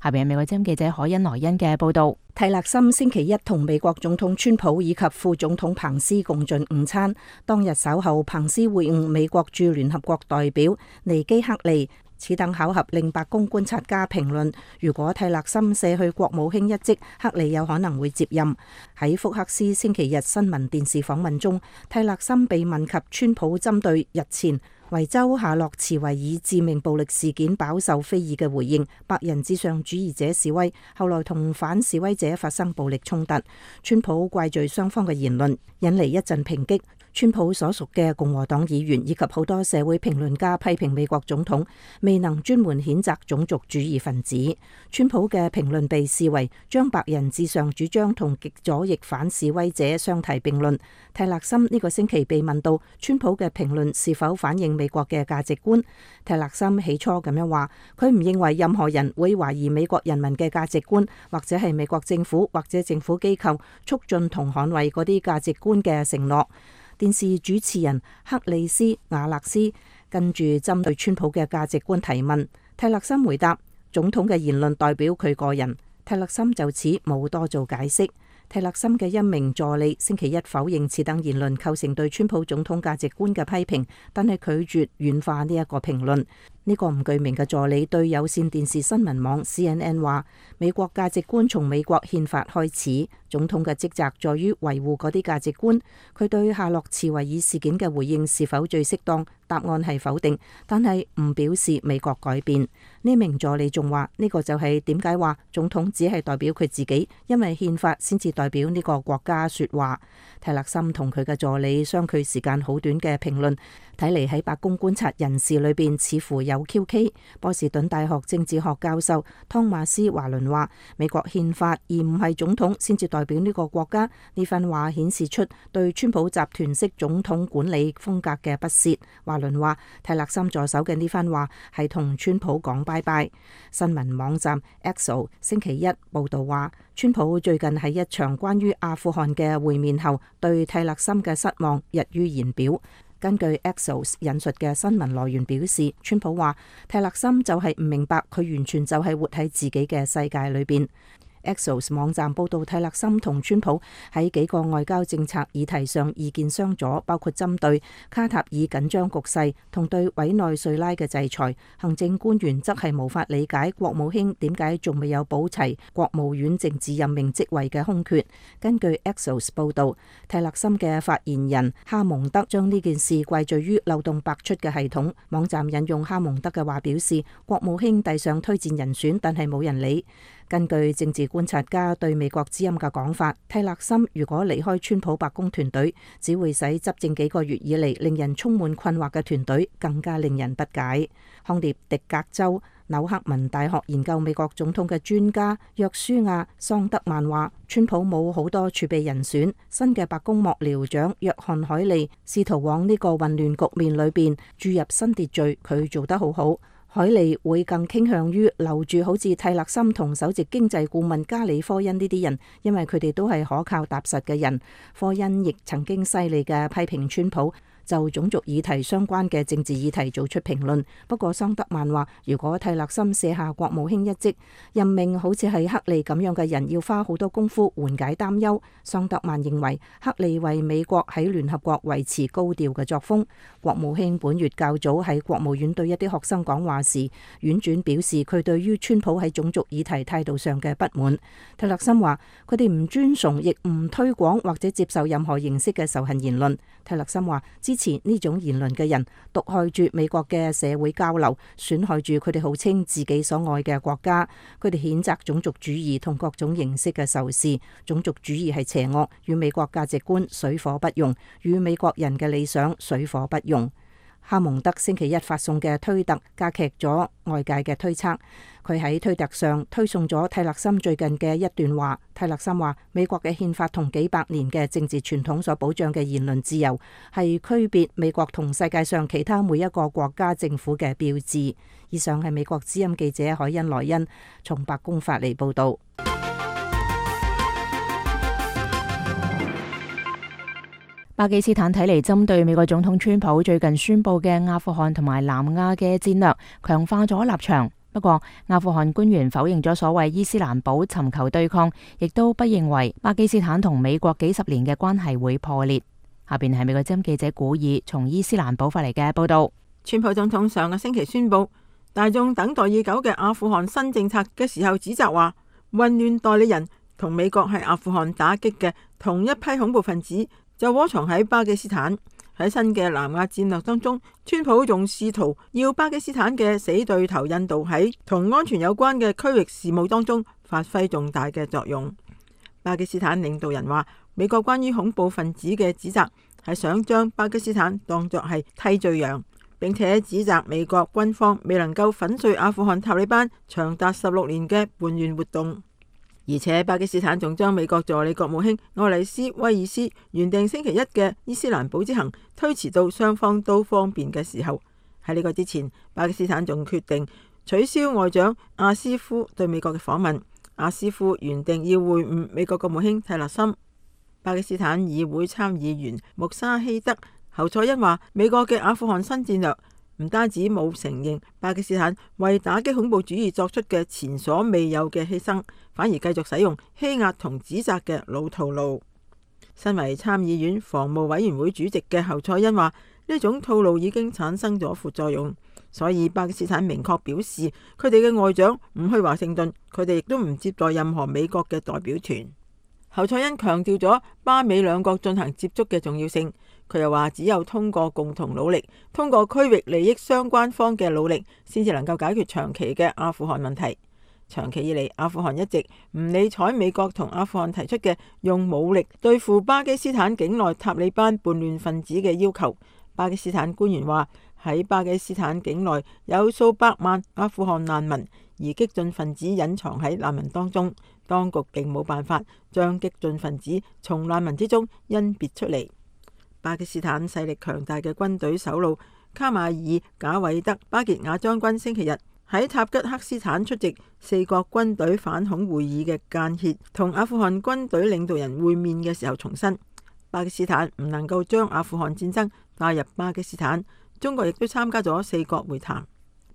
下邊係美國之音記者海恩萊恩嘅報道。蒂勒森星期一同美國總統川普以及副總統彭斯共進午餐。當日稍後，彭斯會晤美國駐聯合國代表尼基克利。此等巧合令白宮觀察家評論，如果蒂勒森卸去國務卿一職，克利有可能會接任。喺福克斯星期日新聞電視訪問中，蒂勒森被問及川普針對日前維州夏洛茨維爾致命暴力事件飽受非議嘅回應，白人至上主義者示威，後來同反示威者發生暴力衝突，川普怪罪雙方嘅言論，引嚟一陣抨擊。川普所屬嘅共和黨議員以及好多社會評論家批評美國總統未能專門譴責種族主義分子。川普嘅評論被視為將白人至上主張同極左翼反示威者相提並論。蒂勒森呢個星期被問到川普嘅評論是否反映美國嘅價值觀，蒂勒森起初咁樣話，佢唔認為任何人會懷疑美國人民嘅價值觀，或者係美國政府或者政府機構促進同捍衛嗰啲價值觀嘅承諾。電視主持人克里斯瓦勒斯跟住針對川普嘅價值觀提問，蒂勒森回答：總統嘅言論代表佢個人。蒂勒森就此冇多做解釋。蒂勒森嘅一名助理星期一否認此等言論構成對川普總統價值觀嘅批評，但係拒絕軟化呢一個評論。呢個唔具名嘅助理對有線電視新聞網 C N N 話：美國價值觀從美國憲法開始，總統嘅職責在於維護嗰啲價值觀。佢對夏洛茨維爾事件嘅回應是否最適當？答案係否定，但係唔表示美國改變。呢名助理仲話：呢個就係點解話總統只係代表佢自己，因為憲法先至代表呢個國家說話。泰勒森同佢嘅助理相距時間好短嘅評論，睇嚟喺白宮觀察人士裏邊似乎有 Q K。波士頓大學政治學教授湯馬斯華倫話：美國憲法而唔係總統先至代表呢個國家。呢番話顯示出對川普集團式總統管理風格嘅不屑。華倫話：泰勒森助手嘅呢番話係同川普講拜拜。新聞網站 Axios 星期一報道話，川普最近喺一場關於阿富汗嘅會面後，對泰勒森嘅失望溢於言表。根據 Axios 引述嘅新聞來源表示，川普話泰勒森就係唔明白佢完全就係活喺自己嘅世界裏邊。Axios 網站報道，泰勒森同川普喺幾個外交政策議題上意見相左，包括針對卡塔爾緊張局勢同對委內瑞拉嘅制裁。行政官員則係無法理解國務卿點解仲未有補齊國務院政治任命職位嘅空缺。根據 Axios 報道，泰勒森嘅發言人哈蒙德將呢件事歸罪於漏洞百出嘅系統。網站引用哈蒙德嘅話表示，國務卿遞上推薦人選，但係冇人理。根據政治觀察家對美國之音嘅講法，泰勒森如果離開川普白宮團隊，只會使執政幾個月以嚟令人充滿困惑嘅團隊更加令人不解。康涅狄格州紐克文大學研究美國總統嘅專家約書亞桑德曼話：川普冇好多儲備人選，新嘅白宮幕僚長約翰海利試圖往呢個混亂局面裏邊注入新秩序，佢做得好好。海利會更傾向於留住好似泰勒森同首席經濟顧問加里科恩呢啲人，因為佢哋都係可靠踏實嘅人。科恩亦曾經犀利嘅批評川普就種族議題相關嘅政治議題做出評論。不過桑德曼話，如果泰勒森卸下國務卿一職，任命好似係克利咁樣嘅人，要花好多功夫緩解擔憂。桑德曼認為克利為美國喺聯合國維持高調嘅作風。國務卿本月較早喺國務院對一啲學生講話時，婉轉表示佢對於川普喺種族議題態度上嘅不滿。泰勒森話佢哋唔尊重，亦唔推廣或者接受任何形式嘅仇恨言論。泰勒森話支持呢種言論嘅人毒害住美國嘅社會交流，損害住佢哋號稱自己所愛嘅國家。佢哋譴責種族主義同各種形式嘅仇視。種族主義係邪惡，與美國價值觀水火不容，與美國人嘅理想水火不容。哈蒙德星期一發送嘅推特加劇咗外界嘅推測。佢喺推特上推送咗泰勒森最近嘅一段話。泰勒森話：美國嘅憲法同幾百年嘅政治傳統所保障嘅言論自由，係區別美國同世界上其他每一個國家政府嘅標誌。以上係美國之音記者海恩萊恩從白宮發嚟報導。巴基斯坦睇嚟針對美國總統川普最近宣布嘅阿富汗同埋南亞嘅戰略，強化咗立場。不過，阿富汗官員否認咗所謂伊斯蘭堡尋求對抗，亦都不認為巴基斯坦同美國幾十年嘅關係會破裂。下邊係美國之音記者古爾從伊斯蘭堡發嚟嘅報道。川普總統上個星期宣布大眾等待已久嘅阿富汗新政策嘅時候，指責話混亂代理人同美國喺阿富汗打擊嘅同一批恐怖分子就窩藏喺巴基斯坦。喺新嘅南亞戰略當中，川普仲試圖要巴基斯坦嘅死對頭印度喺同安全有關嘅區域事務當中發揮重大嘅作用。巴基斯坦領導人話，美國關於恐怖分子嘅指責係想將巴基斯坦當作係替罪羊，並且指責美國軍方未能夠粉碎阿富汗塔利班長達十六年嘅叛亂活動。而且巴基斯坦仲將美國助理國務卿愛麗絲威爾斯原定星期一嘅伊斯蘭堡之行推遲到雙方都方便嘅時候。喺呢個之前，巴基斯坦仲決定取消外長阿斯夫對美國嘅訪問。阿斯夫原定要會晤美國國務卿泰勒森。巴基斯坦議會參議員穆沙希德侯賽因話，美國嘅阿富汗新戰略唔單止冇承認巴基斯坦為打擊恐怖主義作出嘅前所未有嘅犧牲，反而繼續使用欺壓同指責嘅老套路。身為參議院防務委員會主席嘅侯賽因話，呢種套路已經產生咗副作用，所以巴基斯坦明確表示佢哋嘅外長唔去華盛頓，佢哋亦都唔接待任何美國嘅代表團。侯賽因強調咗巴美兩國進行接觸嘅重要性。佢又話，只有通過共同努力，通過區域利益相關方嘅努力，先至能夠解決長期嘅阿富汗問題。長期以嚟，阿富汗一直唔理睬美國同阿富汗提出嘅用武力對付巴基斯坦境內塔利班叛亂分子嘅要求。巴基斯坦官員話，喺巴基斯坦境內有數百萬阿富汗難民，而激進分子隱藏喺難民當中，當局並冇辦法將激進分子從難民之中甄別出嚟。巴基斯坦勢力強大嘅軍隊首腦卡馬爾賈偉德巴傑亞將軍星期日喺塔吉克斯坦出席四國軍隊反恐會議嘅間歇同阿富汗軍隊領導人會面嘅時候重申，巴基斯坦唔能夠將阿富汗戰爭帶入巴基斯坦。中國亦都參加咗四國會談。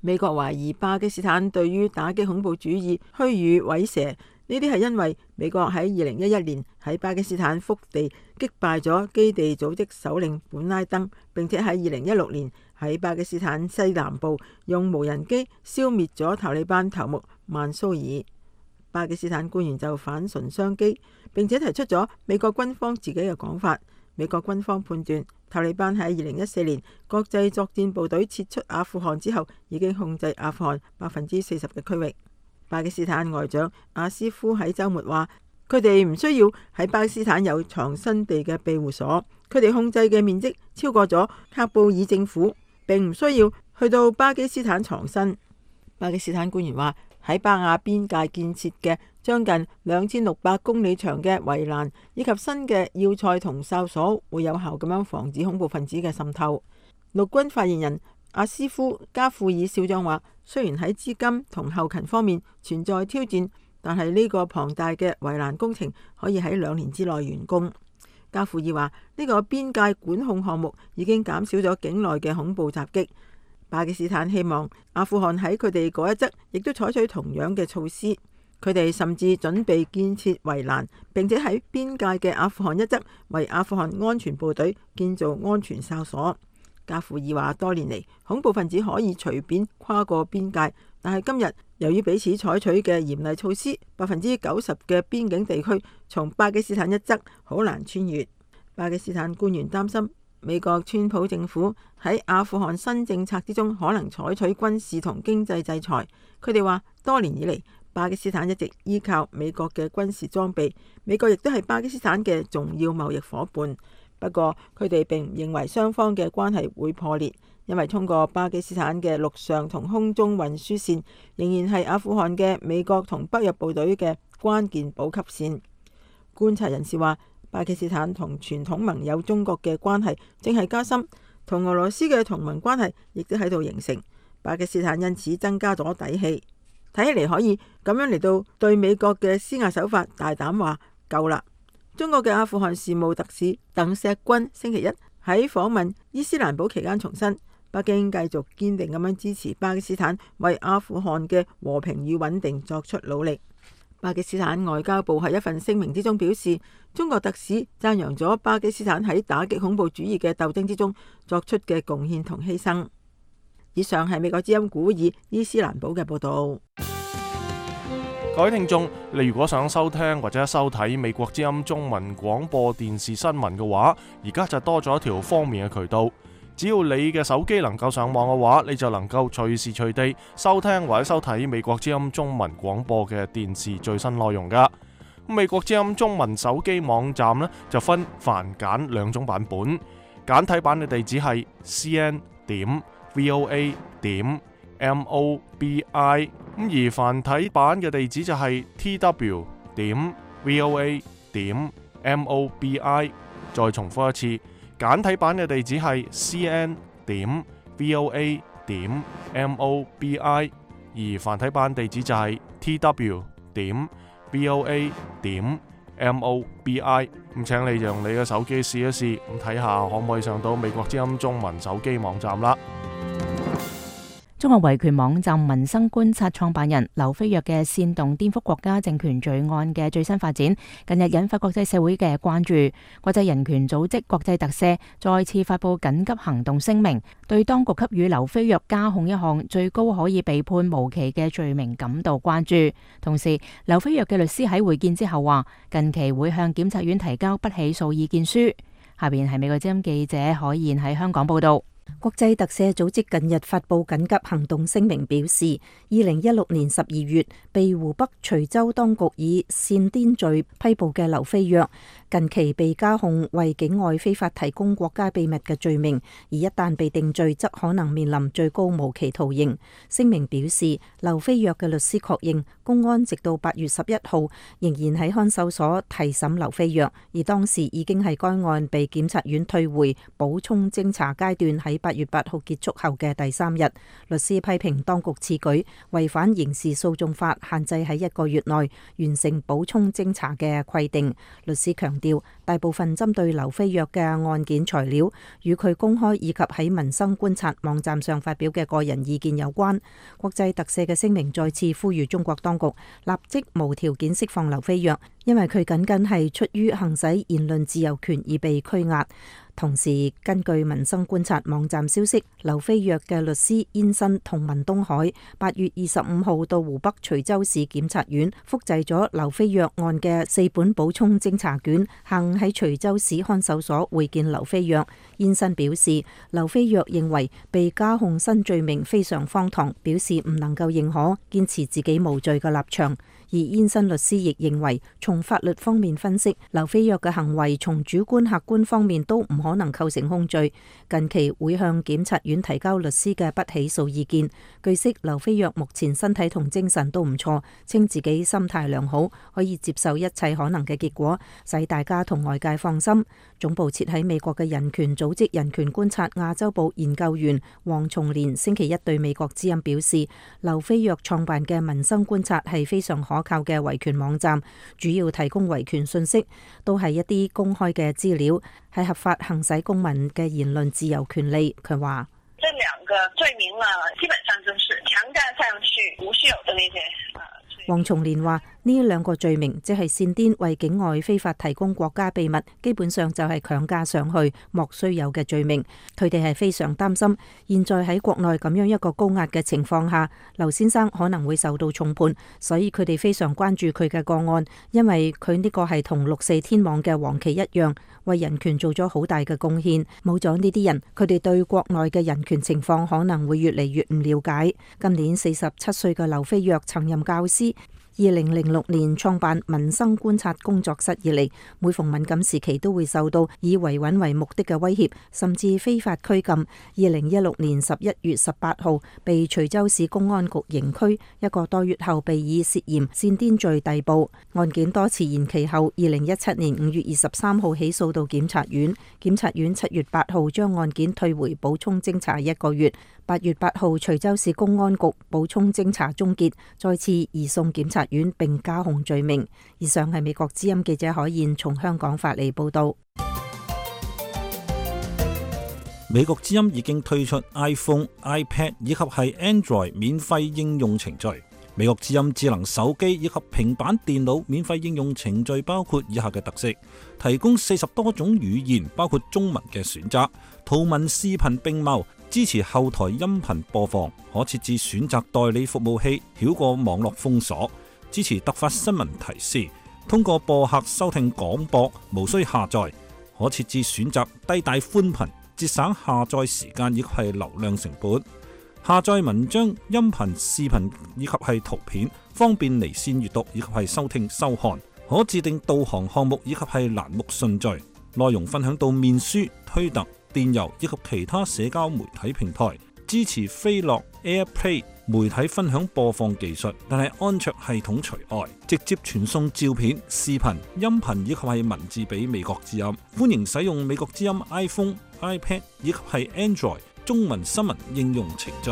美國懷疑巴基斯坦對於打擊恐怖主義虛與委蛇，呢啲係因為美國喺二零一一年喺巴基斯坦腹地擊敗咗基地組織首領本拉登，並且喺二零一六年喺巴基斯坦西南部用無人機消滅咗塔利班頭目曼蘇爾。巴基斯坦官員就反唇相譏，並且提出咗美國軍方自己嘅講法。美國軍方判斷，塔利班喺二零一四年國際作戰部隊撤出阿富汗之後，已經控制阿富汗百分之四十嘅區域。巴基斯坦外長阿斯夫喺週末話，佢哋唔需要喺巴基斯坦有藏身地嘅庇護所，佢哋控制嘅面積超過咗喀布爾政府，並唔需要去到巴基斯坦藏身。巴基斯坦官員話，喺巴亞邊界建設嘅將近兩千六百公里長嘅圍欄以及新嘅要塞同哨所，會有效咁樣防止恐怖分子嘅滲透。陸軍發言人阿斯夫加富爾少將話，雖然喺資金同後勤方面存在挑戰，但係呢個龐大嘅圍欄工程可以喺兩年之內完工。加富爾話，呢個邊界管控項目已經減少咗境內嘅恐怖襲擊。巴基斯坦希望阿富汗喺佢哋嗰一側亦都採取同樣嘅措施，佢哋甚至準備建設圍欄，並且喺邊界嘅阿富汗一側為阿富汗安全部隊建造安全哨所。加富爾話，多年嚟恐怖分子可以隨便跨過邊界，但係今日由於彼此採取嘅嚴厲措施，百分之九十嘅邊境地區從巴基斯坦一側好難穿越。巴基斯坦官員擔心美國川普政府喺阿富汗新政策之中可能採取軍事同經濟制裁。佢哋話，多年以嚟巴基斯坦一直依靠美國嘅軍事裝備，美國亦都係巴基斯坦嘅重要貿易夥伴。不過佢哋並唔認為雙方嘅關係會破裂，因為通過巴基斯坦嘅陸上同空中運輸線仍然係阿富汗嘅美國同北約部隊嘅關鍵補給線。觀察人士話，巴基斯坦同傳統盟友中國嘅關係正係加深，同俄羅斯嘅同盟關係亦都喺度形成。巴基斯坦因此增加咗底氣，睇起嚟可以咁樣嚟到對美國嘅施壓手法大膽話夠啦。中國嘅阿富汗事務特使鄧錫軍星期一喺訪問伊斯蘭堡期間重申，北京繼續堅定咁樣支持巴基斯坦為阿富汗嘅和平與穩定作出努力。巴基斯坦外交部喺一份聲明之中表示，中國特使讚揚咗巴基斯坦喺打擊恐怖主義嘅鬥爭之中作出嘅貢獻同犧牲。以上係美國之音古爾伊斯蘭堡嘅報道。各位聽眾，你如果想收聽或者收睇美國之音中文廣播電視新聞嘅話，而家就多咗一條方便嘅渠道。只要你嘅手機能夠上網嘅話，你就能夠隨時隨地收聽或者收睇美國之音中文廣播嘅電視最新內容噶。美國之音中文手機網站呢，就分繁簡兩種版本，簡體版嘅地址係 c n 點 v o a 點 m o b i， 咁而繁體版嘅地址就係 t w 點 v o a 點 m o b i。再重複一次，簡體版嘅地址係 c n 點 v o a 點 m o b i， 而繁體版地址就係 t w 點 v o a 點 m o b i。咁請你用你嘅手機試一試，咁睇下可唔可以上到美國之音中文手機網站啦。中國維權網站民生觀察創辦人劉飛躍嘅煽動顛覆國家政權罪案嘅最新發展，近日引發國際社會嘅關注。國際人權組織國際特赦再次發布緊急行動聲明，對當局給予劉飛躍加控一項最高可以被判無期嘅罪名感到關注。同時，劉飛躍嘅律師喺會見之後話，近期會向檢察院提交不起訴意見書。下邊係美國之音記者海燕喺香港報道。國際特赦組織近日發布緊急行動聲明，表示二零一六年十二月被湖北徐州當局以煽顛罪批捕嘅劉飛躍，近期被加控為境外非法提供國家秘密嘅罪名，而一旦被定罪，則可能面臨最高無期徒刑。聲明表示，劉飛躍嘅律師確認，公安直到八月十一號仍然喺看守所提審劉飛躍，而當時已經係該案被檢察院退回補充偵查階段喺八月八號結束後嘅第三日。律師批評當局此舉違反刑事訴訟法限制喺一個月內完成補充偵查嘅規定。律師強調，大部分針對劉飛躍嘅案件材料與佢公開以及喺民生觀察網站上發表嘅個人意見有關。國際特赦嘅聲明再次呼籲中國當局立即無條件釋放劉飛躍，因為佢僅僅係出於行使言論自由權而被拘押。同時，根據民生觀察網站消息，劉飛躍嘅律師燕新同文東海八月二十五號到湖北徐州市檢察院複製咗劉飛躍案嘅四本補充偵查卷，下午喺徐州市看守所會見劉飛躍。燕新表示，劉飛躍認為被加控新罪名非常荒唐，表示唔能夠認可，堅持自己無罪嘅立場。而燕新律師亦認為，從法律方面分析，劉飛躍嘅行為從主觀客觀方面都唔可能構成控罪。近期會向檢察院提交律師嘅不起訴意見。據悉，劉飛躍目前身體同精神都唔錯，稱自己心態良好，可以接受一切可能嘅結果，使大家同外界放心。總部設喺美國嘅人權組織人權觀察亞洲部研究員黃松蓮星期一對美國之音表示，劉飛躍創辦嘅民生觀察係非常可靠嘅維權網站，主要提供維權信息，都係一啲公開嘅資料，係合法行使公民嘅言論自由權利。佢話：這兩個罪名呢，基本上就是強加上去無需有的那些。黃松蓮話：呢兩個罪名即係煽顛為境外非法提供國家秘密，基本上就係強加上去莫須有嘅罪名。佢哋係非常擔心，現在喺國內咁樣一個高壓嘅情況下，劉先生可能會受到重判，所以佢哋非常關注佢嘅個案，因為佢呢個係同六四天網嘅黃旗一樣，為人權做咗好大嘅貢獻。冇咗呢啲人，佢哋對國內嘅人權情況可能會越嚟越唔了解。今年四十七歲嘅劉飛躍曾任教師。二零零六年創辦民生觀察工作室以嚟，每逢敏感時期都會受到以維穩為目的嘅威脅，甚至非法拘禁。二零一六年十一月十八號被徐州市公安局刑拘，一個多月後被以涉嫌煽顛罪逮捕。案件多次延期後，二零一七年五月二十三號起訴到檢察院，檢察院七月八號將案件退回補充偵查一個月。八月八號，徐州市公安局補充偵查終結，再次移送檢察院並加控罪名。以上係美國之音記者海燕從香港發嚟報道。美國之音已經推出 iPhone、iPad 以及係 Android 免費應用程序。美國之音智能手機以及平板電腦免費應用程序包括以下嘅特色：提供四十多種語言，包括中文嘅選擇，圖文視頻並茂。支持後台音頻播放，可設置選擇代理服務器，繞過網絡封鎖。支持突發新聞提示，通過播客收聽廣播，無需下載。可設置選擇低帶寬頻，節省下載時間以及係流量成本。下載文章、音頻、視頻以及係圖片，方便離線閱讀以及係收聽收看。可自定導航項目以及係欄目順序。內容分享到面書、推特、電郵以及其他社交媒體平台，支持飛樂 AirPlay 媒體分享播放技術，但係安卓系統除外，直接傳送照片、視頻、音頻以及係文字俾美國之音。歡迎使用美國之音 iPhone、iPad 以及係 Android 中文新聞應用程序。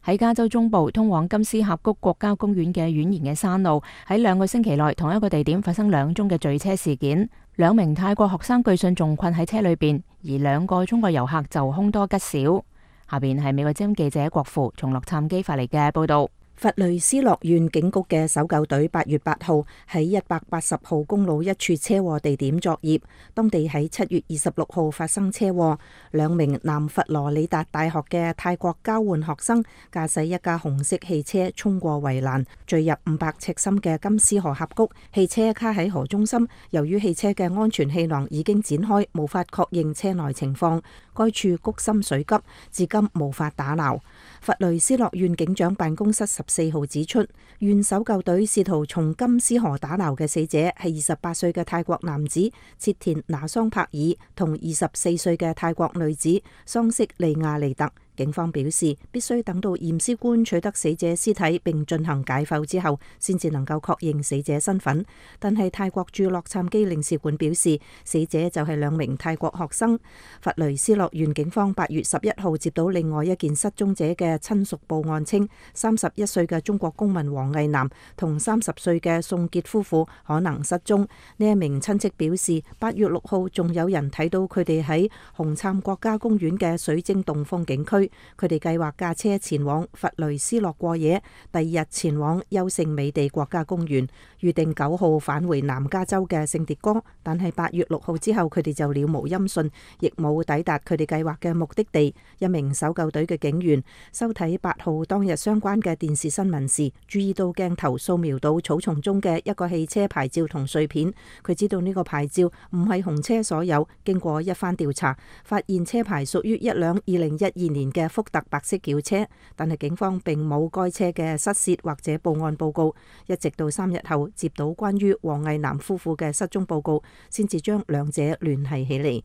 喺加州中部通往金絲峽谷國家公園嘅蜿蜒嘅山路，喺兩個星期內同一個地點發生兩宗嘅墜車事件。兩名泰國學生據信仲困喺車裏邊，而兩個中國遊客就凶多吉少。下邊係美國之音記者郭富從洛杉磯發嚟嘅報道。佛雷斯諾縣警局嘅搜救隊八月八號喺一百八十號公路一處車禍地點作業，當地喺七月二十六號發生車禍，兩名南佛羅里達大學嘅泰國交換學生駕駛一架紅色汽車衝過圍欄，墜入五百尺深嘅金絲河峽谷，汽車卡喺河中心。由於汽車嘅安全氣囊已經展開，無法確認車內情況，該處谷深水急，至今無法打撈。佛雷斯諾縣警長辦公室十四號指出，縣搜救隊試圖從金絲河打撈嘅死者係二十八歲嘅泰國男子切田拿桑柏爾同二十四歲嘅泰國女子桑色利亞利特。警方表示，必須等到驗屍官取得死者屍體並進行解剖之後，先至能夠確認死者身份。但係泰國駐洛杉磯領事館表示，死者就係兩名泰國學生。佛雷斯諾縣警方八月十一號接到另外一件失蹤者嘅親屬報案稱，三十一歲嘅中國公民黃毅南同三十歲嘅宋傑夫婦可能失蹤。呢一名親戚表示，八月六號仲有人睇到佢哋喺紅杉國家公園嘅水晶洞風景區。佢哋計劃駕車前往佛雷斯諾過夜，第二日前往優勝美地國家公園，預定九號返回南加州嘅聖迭戈。但係八月六號之後，佢哋就了無音訊，亦冇抵達佢哋計劃嘅目的地。一名搜救隊嘅警員收睇八號當日相關嘅電視新聞時，注意到鏡頭掃描到草叢中嘅一個汽車牌照同碎片。佢知道呢個牌照唔係紅車所有，經過一番調查，發現車牌屬於一輛二零一二年嘅福特白色轎車，但係警方並冇該車嘅失竊或者報案報告，一直到三日後接到關於黃毅南夫婦嘅失蹤報告，先至將兩者聯繫起嚟。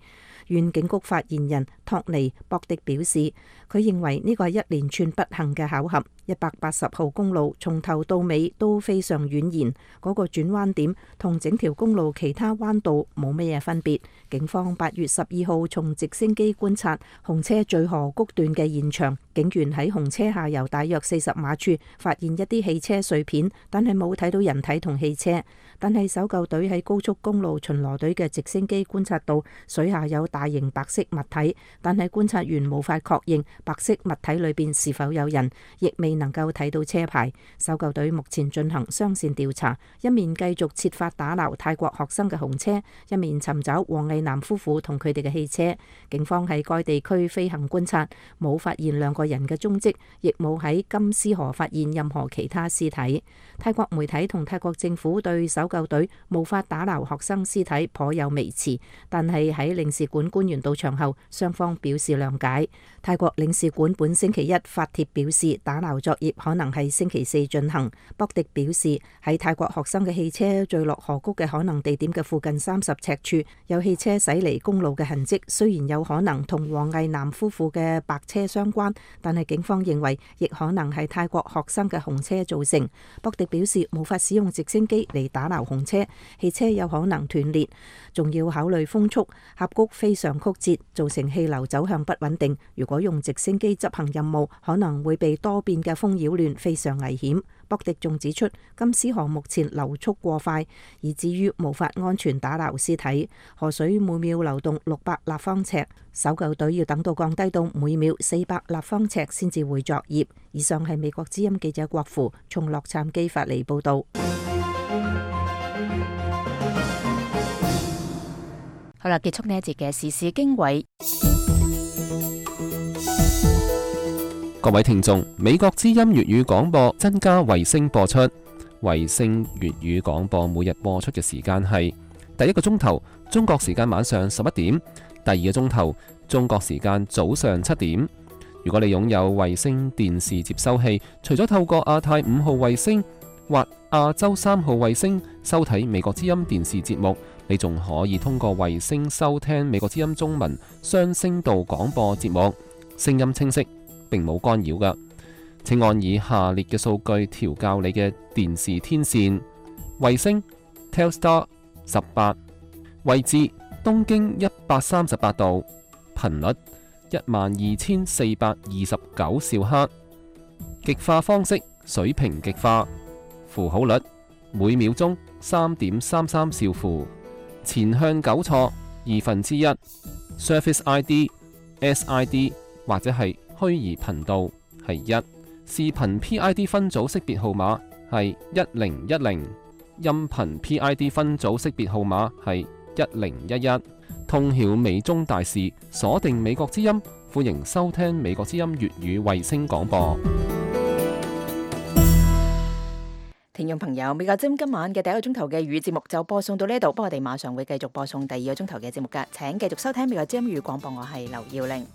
縣警局發言人托尼博迪表示，佢認為呢個係一連串不幸嘅巧合。一百八十號公路從頭到尾都非常蜿蜒，嗰個轉彎點同整條公路其他彎道冇乜嘢分別。警方八月十二號從直升機觀察紅車墜河谷段嘅現場，警員喺紅車下游大約四十碼處發現一啲汽車碎片，但係冇睇到人體同汽車。但係搜救隊喺高速公路巡邏隊嘅直升機觀察到水下有大型白色物體，但係觀察員無法確認白色物體裏邊是否有人，亦未能夠睇到車牌。搜救隊目前進行雙線調查，一面繼續設法打撈泰國學生嘅紅車，一面尋找黃毅南夫婦同佢哋嘅汽車。警方喺該地區飛行觀察，冇發現兩個人嘅蹤跡，亦冇喺金絲河發現任何其他屍體。泰國媒體同泰國政府對搜救隊無法打撈學生屍體頗有微詞，但係喺領事館官員到場後，雙方表示諒解。泰國領事館本星期一發帖表示，打撈作業可能係星期四進行。博迪表示，喺泰國學生嘅汽車墜落河谷嘅可能地點嘅附近三十尺處有汽車駛離公路嘅痕跡，雖然有可能同黃毅南夫婦嘅白車相關，但係警方認為亦可能係泰國學生嘅紅車造成。博迪表示，無法使用直升機嚟打撈紅車，汽車有可能斷裂，仲要考慮風速，峽谷非常曲折，造成氣流走向不穩定。如果用直升機執行任務，可能會被多變嘅風擾亂，非常危險。博迪仲指出，金絲河目前流速過快，以至於無法安全打撈屍體。河水每秒流動六百立方尺，搜救隊要等到降低到每秒四百立方尺先至會作業。以上係美國之音記者郭芙從洛杉磯發嚟報道。好啦，結束呢一節嘅時事經緯。各位聽眾，美國之音粵語廣播增加衛星播出。衛星粵語廣播每日播出嘅時間係第一個鐘頭中國時間晚上十一點，第二個鐘頭中國時間早上七點。如果你擁有衛星電視接收器，除咗透過亞太五號衛星或亞洲三號衛星收睇美國之音電視節目，你仲可以通過衛星收聽美國之音中文雙聲道廣播節目，聲音清晰，並冇干擾㗎。請按以下列嘅數據調校你嘅電視天線：衛星 Telstar 十八，位置東經一百三十八度，頻率一萬二千四百二十九兆赫，極化方式水平極化，符號率每秒鐘三點三三兆符，前向糾錯二分之一，Service I D S I D 或者係虛擬頻道係一，視頻 P I D 分組識別號碼係一零一零，音頻 P I D 分組識別號碼係一零一一。通曉美中大事，鎖定美國之音，歡迎收聽美國之音粵語衛星廣播。聽眾朋友，美國之音今晚嘅第一個鐘頭嘅語節目就播送到呢度，不過我哋馬上會繼續播送第二個鐘頭嘅節目㗎，請繼續收聽美國之音語廣播，我係劉耀玲。